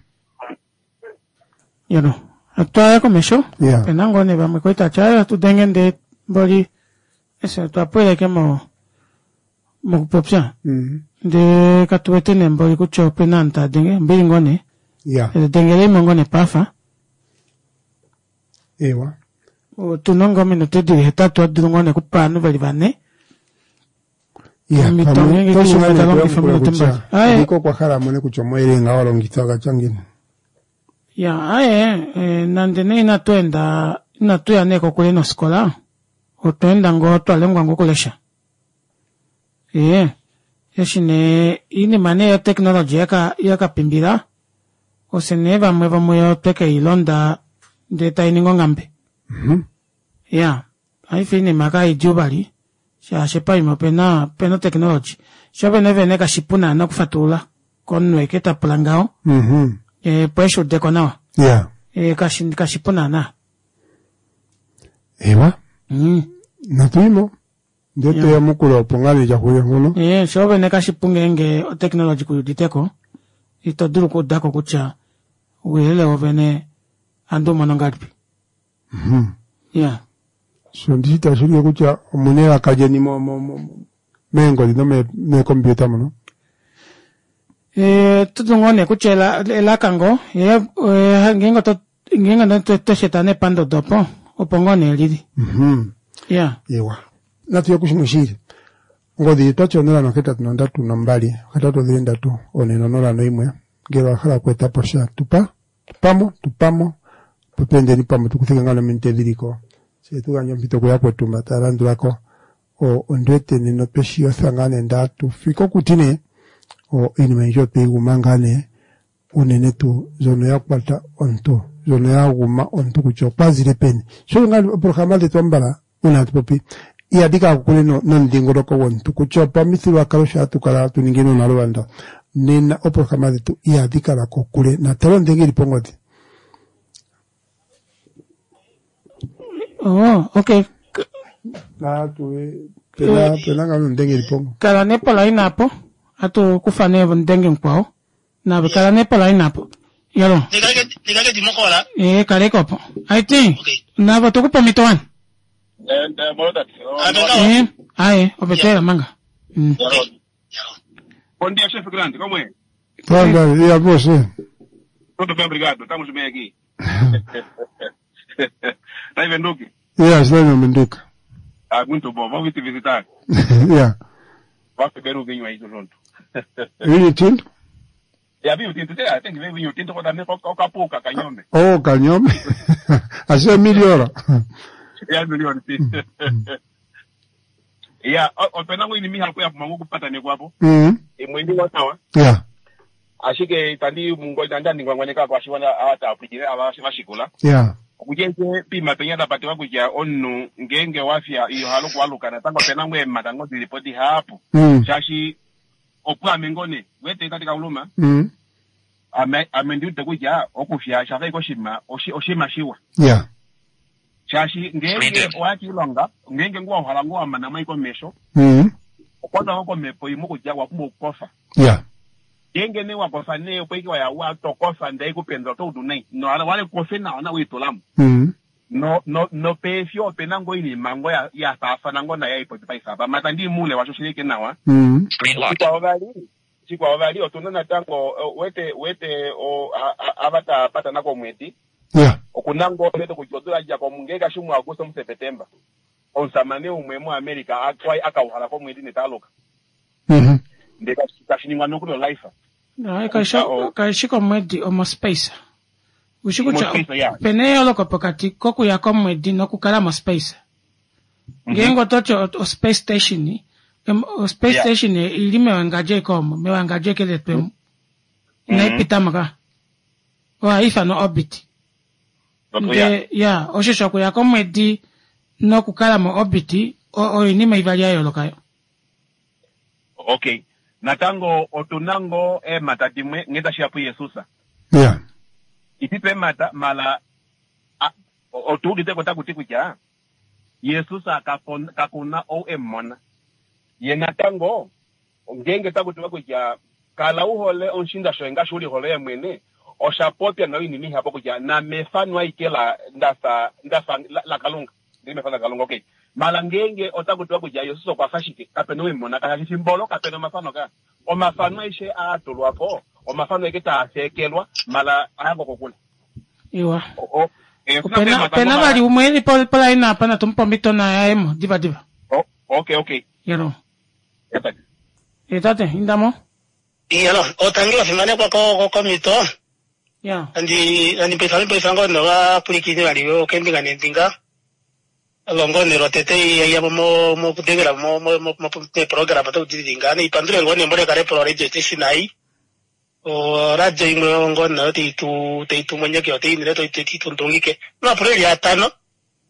Yano. Atwaya komesho. Ya. Pena ngoo nee vamwe kwali tatya atu denge ndee mboli ese twapweleke mo mokupopya. Mhm. Ndee katuwete nee mboli kutya opena aantu taya denge ombili ngoo nee. Ya. Dengele ngoo nee pafa. Ewa. Otuna ngoo ominute dili hetatu adulu ngoo nee okupa ovanhu veli vane. Ya, Omito pamwe ngenge to keshe vulu umwe ta nee longifa okuyamukula ominute kutya mbali. Aye. ndika okwa hala amone kutya omauyelele nga wa longitha ogatya ngiini. Ya, aye, eh, nande nee inatu enda inatuya nee kokule nofikola otwa enda ngoo twalongwa ngoo okulesha. Ee, eshi nee oinima nee yotechnology yaka yakapimbila ofye nee vamwe vomuyo twekeilonda ndee tainingi onghambe. Mhm. Ya, paife oinima kaidjuu vali shaashi paima opena opena otechnology. Sho vene vene kashipu naana okufatulula komunhu eke tapula ngaho Mhm. eh, opo eshuudeko nawa. Ya. Eh, kashi kashipu naana. Ewa. Mm. Natuyimo. Ndee toyamukula opo ngaa nee lyahulile mpono. Eh, sho vene kashipu ngeenge otechnology kuyuditeko ito dulu okuudako kutya ouyelele wovene ohandi umono ngahelipi. Mhm. Ya. So ndishi tashi ulike kutya omuna elaka lyeni mo- mo- mo- meengodhi nomeekompiuta mono. Eh, oto dulu ngoo nee kutya ela- elaka ngoo ye eh, ngeenge oto ngeenge oto tosheta nee pandodo opo opo ngoo nee lili. Mhm. Ya. Ewa. Natuye kushimwe shiili. Ongodhi otwati onola nohetatu nondatu nombali ohetatu odhili ndatu one nonola noimwe ngele owa hala okweeta po sha tupa tupamo tupamo opo tweendeni pamwe tukuthike ngaa nominute dhiliko se tugandje ompito kuyakwetu mba taya landulako o ondiwete nena otweshi yotha ngaa nee ndaa tufike okuti nee o iinima oyindji otweyi guma ngaa nee unene tuu mbyono ya kwata omuntu mbyono ya guma omuntu kutya okwazile peni sho ngaa oopolohalama dhetu ambala uuna hatu popi ihadhi kala kokule no- nomudhingoloko gwomuntu kutya opamithigululwakalo sho hatu kala hatu ningi nuunalubanda nena oopolohalama dhetu ihadhi kala kokule natale ondenge ili pongodhi. Oh, okay. Natu pena pena ngaa nondenge ili pongo. Kala nee poline apo atu kufa nee omudenge mukwao nave kala nee poline apo. Yalo. Ndikaleke ndimokola. Eh, kaleka opo. Aiti. Navo tukupa omhito wani. Eh, aye, ovetela manga. Mm. Bom dia, chefe grande, como é? Tá, e a você? Tudo bem, obrigado. Estamos bem aqui. Tá em Venduque? Yeah, estou em Venduca. Ah, muito bom. Vamos te visitar. Yeah. Vamos beber um vinho aí junto. Vinho tinto? É, vinho tinto. Tem, tem que ver vinho tinto com também com com capuca, canhome. Oh, canhome. Assim é melhor. É melhor, sim. Yeah, opena ngwini miha kuya kumangu kupata nekwapo. Mhm. Imwindi wa sawa. Yeah. Ashike tandi mungo tandi andingwangwaneka kwashiwana awata apikire abashikula. Yeah. Kujenje pima penya tapatiwa kutya omunhu ngeenge wafya iyohala okuwaluka natango opena ngoo eemata ngoo dilipo dihapu Mm. shaashi opwaame ngoo nee wete tati kauluma Mm. Ame ame ndiwete kutya okufya shafa ike oshinima oshinima shiwa. Ya. Shaashi ngeenge owa kiilonga, ngeenge ngoo wahala ngoo wamana mo ashike omesho, Mm. okwatwa ngoo komhepo imwe kutya owa pumbwa okukofa. Ya. Ngeenge nee wakofa nee opo ike waya watokofa ndee haikupendula oto udu nai. Nohala wale kofe nawa nawa welitulamo. Mm. No no nopeefyo opena ngoo oinima ngoo ya yafaafana ngoo nayo ei paife apa. Mata ndii moule washo shili ike nawa. Mm. Shikwao vali, shikwao vali otuna natango wete wete ava taapatana komwedi. Ya. Okuna ngoo wete kutya odula yadjako ngee kashi muAuguste muSepetemba. Omusamane umwe muAmerica akwai akauhala komwedi netaaluka. Mhm. Ndee kashiningwa nokuli olife. Hayi, kaishi komwedi omospace. Ushi kutya Mospace, yeah. opena eyooloko pokati kokuya komwedi nokukala mospace. Ngeenge ototi o space station, o space Yeah. station ili mewangadjo eke omo, mewangadjo eke letwemo. Inayi pitamo ka. Ohayi ithanwa orbit. Ndee ya, osho shokuya komwedi nokukala mo orbit oinima ivali ya yooloka yo. Okay. Natango otuna ngoo eemhata dimwe nghee tashiya puJesus. Ya. Ititu eemhata mala otuuditeko takuti kutya Jesus kakuna ou emumona. Ye natango ngeenge takutiwa kutya kala uhole omushiinda shoye ngaashi ulihole ye mwene, oshapopya nayo oinima ihapu kutya namefano aike la ndafa ndafa laKalunga. Ndili mefano laKalunga, okay. Mala ngeenge otakutiwa kutya Jesus okwafa shike, kapena ou emumona kashi fimbolo, kapena omafano ka. Omafano aishe aatulwapo, omafano aike taafeekelwa, mala ayango kokule. Iwa. O- o- eh, Opena opena vali umwe eli po poline apa natumupa omhito nayayemo diva diva. O- okay, okay. Yelo. Eh tate, indamo. Iyalo, otangi wafimanekwa ko komito. Ya. Andi andi pesa pesa ngo no va pulikini vali yo kembinga nembinga. Longo ne rotete ya mo mo kudengela mo mo mo mo program to kudidinga ne ipandule ngo ne mbole kare pro radio station ai. O radio imwe ngo na te tu te tu mwenye ke te inire to te tu ndongike. No pro ya tano.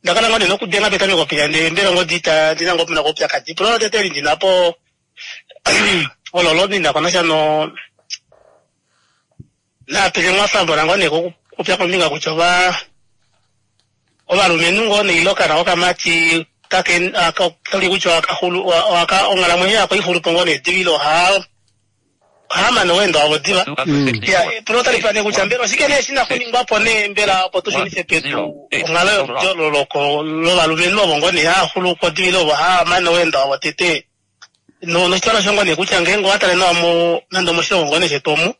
Ndakala ngo ne nokudenga petame kopya nde mbela ngo dita ndina ngo puna kopya kati. Pro tete ndina po ololo ndina kona no napele mwafambo nango ne kupya kombinga kutya ova ovalumenhu ngoo neilokana okamati kake kali kutya wakahulu waka onghalamwenyo yako ixulupo ngoo nedivilo oha ohamane owendo wavo diva. Ya pulo otali nee kutya mbela oshike nee shina kuningwapo nee mbela opo tushunife pedu onghalo yololoko lovalumenhu ovo ngoo nee haxulupo divilo ovo haamane owendo wavo tete. No noshitwala shongo nee kutya ngeenge owatale nawa mo nande omoshilongo ngoo nee shetu omu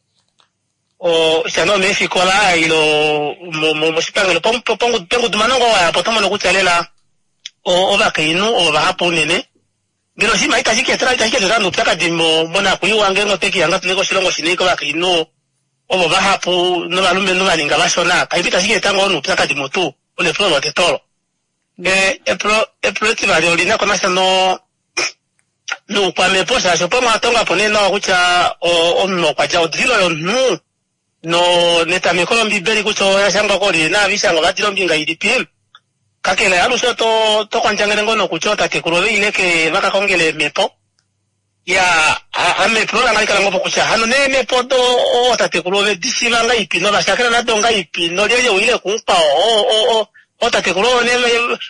o shano meefikola ilo moshipangelo pengudumano ngoo wayapo oto mono kutya lela ovakainhu ovo vahapu unene. Mbela oshinima itashi keetela itashi keetela noupyakadi monakuyiwa ngeenge otwekihanga tuli koshilongo shina kovakainhu ovo vahapu novalumenhu vaninga vashona kaipo itashi keeta ngoo noupyakadi mutu ole epulo lotete olo. Epulo epulo etivali olina ko nasha no noukwamepo shaashi opo mwatongapo nee nawa kutya omunhu okwadja odilo yomunhu no netameko lombibeli kutya oyashangwa koli naavishangwa ovadila ombinga ilipi. Kakele alushe oto tokondjangele ngoo nokutya ootatekulu ove ileke vakakongele eemhepo. Ya ame epulo lange olikala ngoo kutya hano neemhepo do ootatekulu ove dishiiva ngaipi novashakela nado ngaipi nolyelye wile kumukwao ootatekulu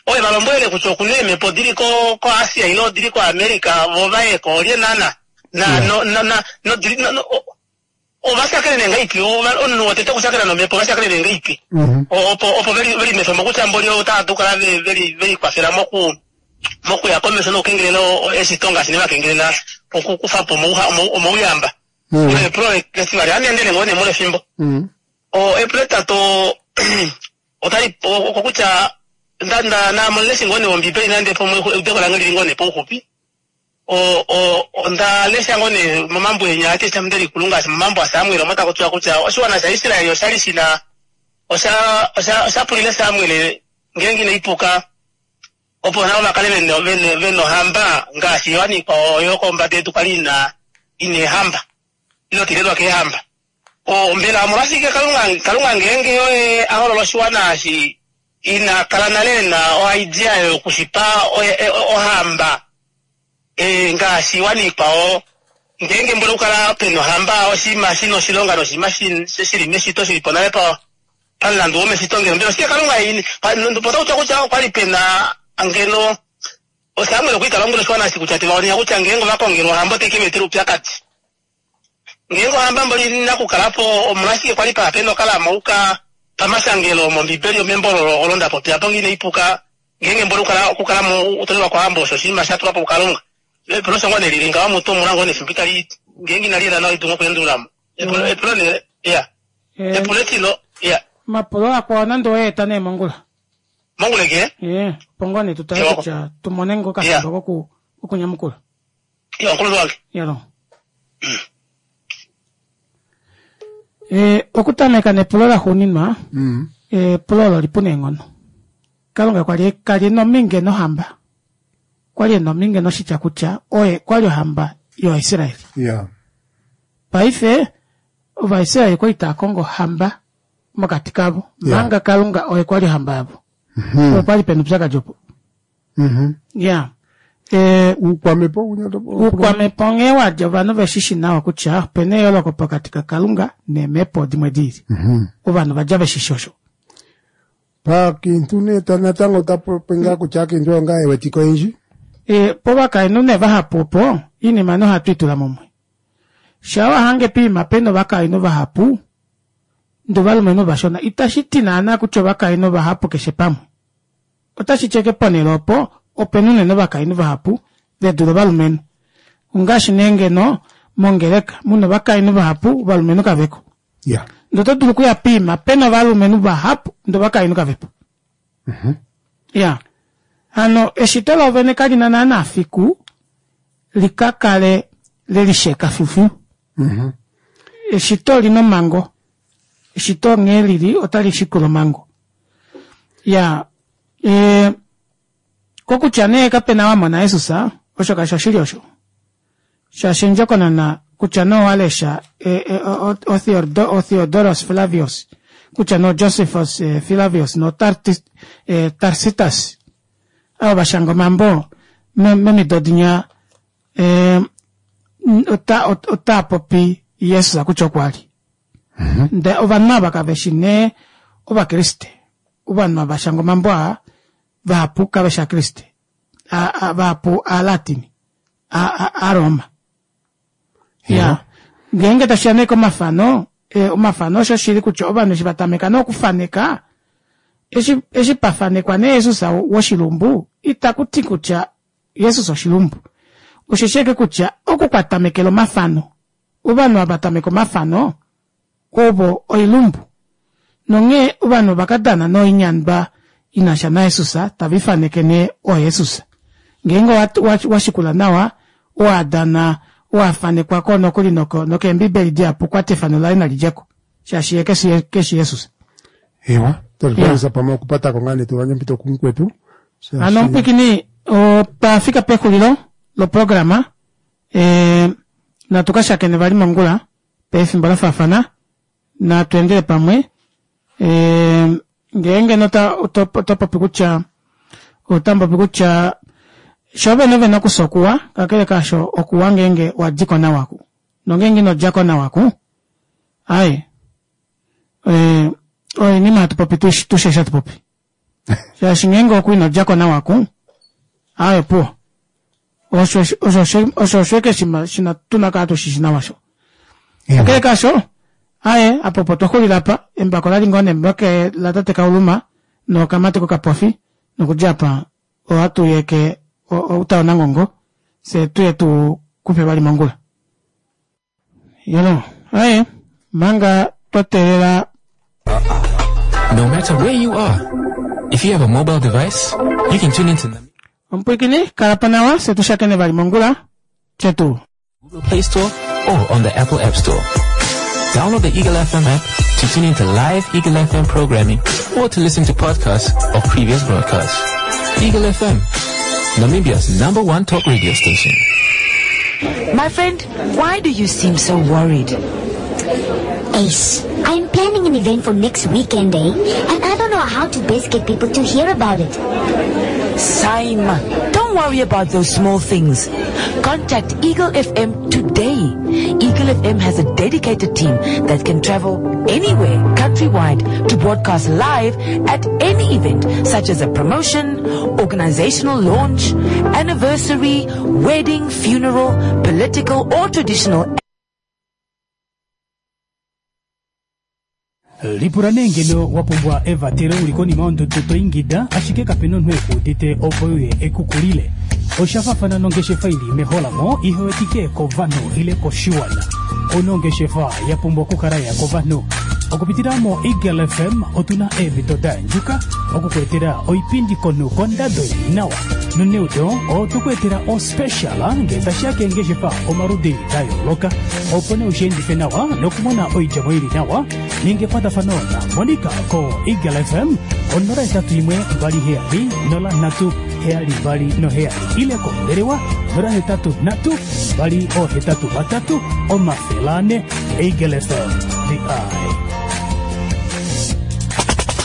oye valombwelele kutya okuna eemhepo dili ko ko Asia ile odili ko America vo vayeko olye naana na no na na no ovashakele nee ngaipi omunhu wotete okushakela nomhepo ovashakele nee ngaipi opo opo veli veli mefemo kutya mboli otava dulu okukala veli velikwafela moku mokuya komesho nokukengelela eshito ngaashi nevakengelela okukufapo omouyamba. Epulo etivali aniendele ngoo nee molefimbo. O epulo etatu otali okokutya nda namonene ngoo nee ombibeli nande pomwe eudeko lange lili ngoo nee pouxupi. O o onda lesha ngoo nee momambo enya aTestamende likulu ngaashi momambo aSamuel omo taku tiwa kutya oshiwana shaIsrael oshali shina osha osha oshapulile Samuel ngeenge inaipuka opo navo vakale vena vena ohamba ngaashi yohani ikwao yokombada yedu kwali ina ina eehamba ile tilelwa keehamba. O mbela omolwashike Kalunga Kalunga ngeenge oye a holola oshiwana eshi ina kala nale ena oidea yokushipa ohamba e ngaashi iwana ikwao Ngeenge mbole okukala pena ohamba oshinima shina oshilonga noshinima shili meshito shili po nale pa pamulandu womeshito ngeno mbela oshike Kalunga ini potakutya kutya okwali pena ngeno Samuel okwa lombwela oshiwana eshi kutya tevaonia kutya ngeenge ovakongelwa ohamba oteke va etela oupyakadi. Ngeenge ohamba mboli nakukalapo omolwashike kwali pa pena okalama pamashangelo mOmbibeli omembo olo nda popya po ngine ipuka ngeenge mboli okukala mo utolelwa kohamba osho oshinima sha tulwa po kuKalunga. Epulo osho ngoo nelili ngaho mutu omuna ngoo nefimbo itali ngeenge inali yela nawa idunga okweendululamo. Epulo epulo ne ya. Epulo etilo ya. Omapulo akwao nande oweeta nee mongula. Mongula ke? Eh, opo ngoo nee tutale kutya tumone ngoo okafimbo koku kokunyamukula. Ya, nkulunhu wange. Yalo. Eh, okutameka nepulo laxuuninwa, Mm. epulo olo lipu neenghono. Kalunga kwali kali nominge nohamba. Kwali nominge noshitya kutya oye kwali ohamba yovaIsraeli. Yeah. Paife Ovaisraeli kwali tava kongo ohamba mokati kavo. Yeah. Manga Kalunga oye kwali ohamba yavo. Mhm. Opo pali pena oupyakadi opo. Mhm. Yeah. Eh, Uukwamepo uukwamepo nghee wadja ovanhu veshishi nawa kutya opena eyooloko pokati kaKalunga neemhepo dimwe diili. Mhm. Ovanhu vadja veshishi osho. Paakiintu nee ta- natango otapopi ngaa kutya aakiintu oyo ngaa yewetike oyendji. E, povakainhu nee vahapu opo iinima nohatu itula mumwe. Shaa wahange piima pena ovakainhu vahapu ndee ovalumenhu vashona itashi ti naana kutya ovakainhu vahapu keshe pamwe. Otashi ti ashike ponhele opo opena unene ovakainhu vahapu vedule ovalumenhu. Ongaashi nee ngeno mongeleka muna ovakainhu vahapu ovalumenhu kaveko. Yeah. Ndee oto dulu okuya piima pena ovalumenhu vahapu ndee ovakainhu kavepo. Ya. Hano eshito lovene kalina naana fiku likakale lelisheka filufilu. Eshito olina omhango. Eshito nghee lili otali shikula omhango. Ya. E, kokutya nee kapena wamona Jesus osho kashi oshili osho. Shaashi endjokonona kutya nee owalesha e, e, o, o, o Theodoros Flavius kutya no Josephus e, Flavius no Tartis, e, Tarsitas avo vashanga omambo momido dinya e, ota, ota popi Jesus kutya okwa li. Ndee ovanhu ava kaveshi nee ovakriste. Ovanhu ava vashanga omambo aa vahapu kaveshi akriste. Vahapu aalatini. Aaroma. Ya. Ngeenge tashiya nee komafano, e, omafano osho shili kutya ovanhu eshi vatameka nokufaneka eshi eshi pafanekwa nee Jesus woshilumbu itaku ti kutya Jesus oshilumbu. Osheshi ashike kutya oku kwatamekela omafano. Ovanhu ava tameka omafano ovo oilumbu. Nonghee ovanhu vakadana noinyandwa inasha naJesus tava ifaneke nee oJesus. Ngeenge washikula nawa owadana owafanekwako nokuli nokeembibeli dihapu kwati efano laye nali djeko. Shaashi ye keshi Jesus. Ewa, tolipalisa pamwe okupatako ngaa nee tugandje ompito kumukwetu. Hano omupwikini otwa fika pexulilo loprograma. E, natu ka shakene vali mongula pefimbo la faafana. Natu endele pamwe. E, ngeenge nota oto popi kutya otamupopi kutya sho vene vene okusa okuwa kakele kaasho okuwa ngeenge wadiko nawaku. Nongeenge ino djako nawaku aye e, oinima hatu popi tushe hatu popi. Shaashi ngeenge oku ino djako nawaku aye opuwo. Osho osho osho osho shima shina tuna kala tushishi nawa sho. Kakele kaasho aye apo opo twaxulila apa embako lali ngoo nembake la tate Kauluma nokamati kokapofi nokudja apa ohatu yeke outa onangongo fye tuye tu kufe vali mongula. Yelo, aye manga twa teelela. No matter where you are, if you have a mobile device, you can tune into Omupwikini kala po nawa fye tushakene vali mongula. Chetu. Google Play Store or on the Apple App Store. Download the Eagle F M app to tune into live Eagle F M programming or to listen to podcasts of previous broadcasts. Eagle F M, Namibia's number one talk radio station. My friend, why do you seem so worried? Ace, I'm planning an event for next weekend, eh? And I don't know how to best get people to hear about it. Saima, don't worry about those small things. Contact Eagle F M today. day. Eagle F M has a dedicated team that can travel anywhere countrywide to broadcast live at any event, such as a promotion, organizational launch, anniversary, wedding, funeral, political or traditional. Lipula nee ngeno wa pumbwa evatelo uli konima yondudu to ingida ashike kapena omunhu ekuudite opo uye ekukulile. Oshafafana nongeshefa ili meholamo ihewetike kovanhu ile koshiwana. Onongeshefa ya pumbwa okukala ya kovanhu. Okupitila mo Eagle F M otuna eemhito da andjuka okukuetela oipindi konhu kondado ili nawa. Noneudo otukuetela ospecial nge tashiya keengeshefa omaludi da yooloka opo nee ushiendife nawa nokumona oidjemo ili nawa. Ninge ekwatafano na Monica ko Eagle F M onola etatu imwe mbali heyali nola nhatu heyali mbali noheyali ile kombelewa nola hetatu nhatu mbali ohetatu vatatu omafele ane. Eagle F M, the eye.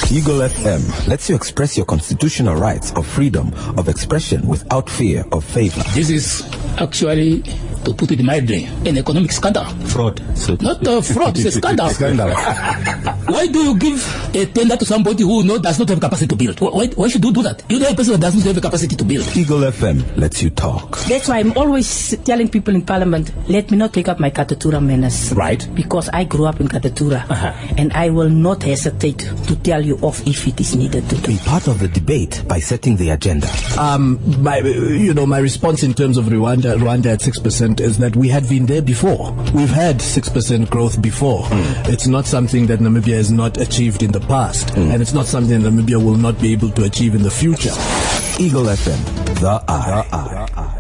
Eagle F M lets you express your constitutional rights of freedom of expression without fear of favor. This is actually, to put it mildly, an economic scandal. Fraud. So Not a fraud, it's a scandal. Scandal. Why do you give a tender to somebody who no, does not have capacity to build? Why, why should you do that? You know a person that does not have the capacity to build. Eagle F M lets you talk. That's why I'm always telling people in Parliament, let me not take up my Katutura manners. Right. Because I grew up in Katutura. Uh-huh. And I will not hesitate to tell you off if it is needed to do. Be part of the debate by setting the agenda. Um, my, you know, my response in terms of Rwanda, Rwanda at six percent is that we had been there before. We've had six percent growth before. Mm. It's not something that Namibia has not achieved in the past, mm. and it's not something that Namibia will not be able to achieve in the future. Eagle F M, the eye. The eye.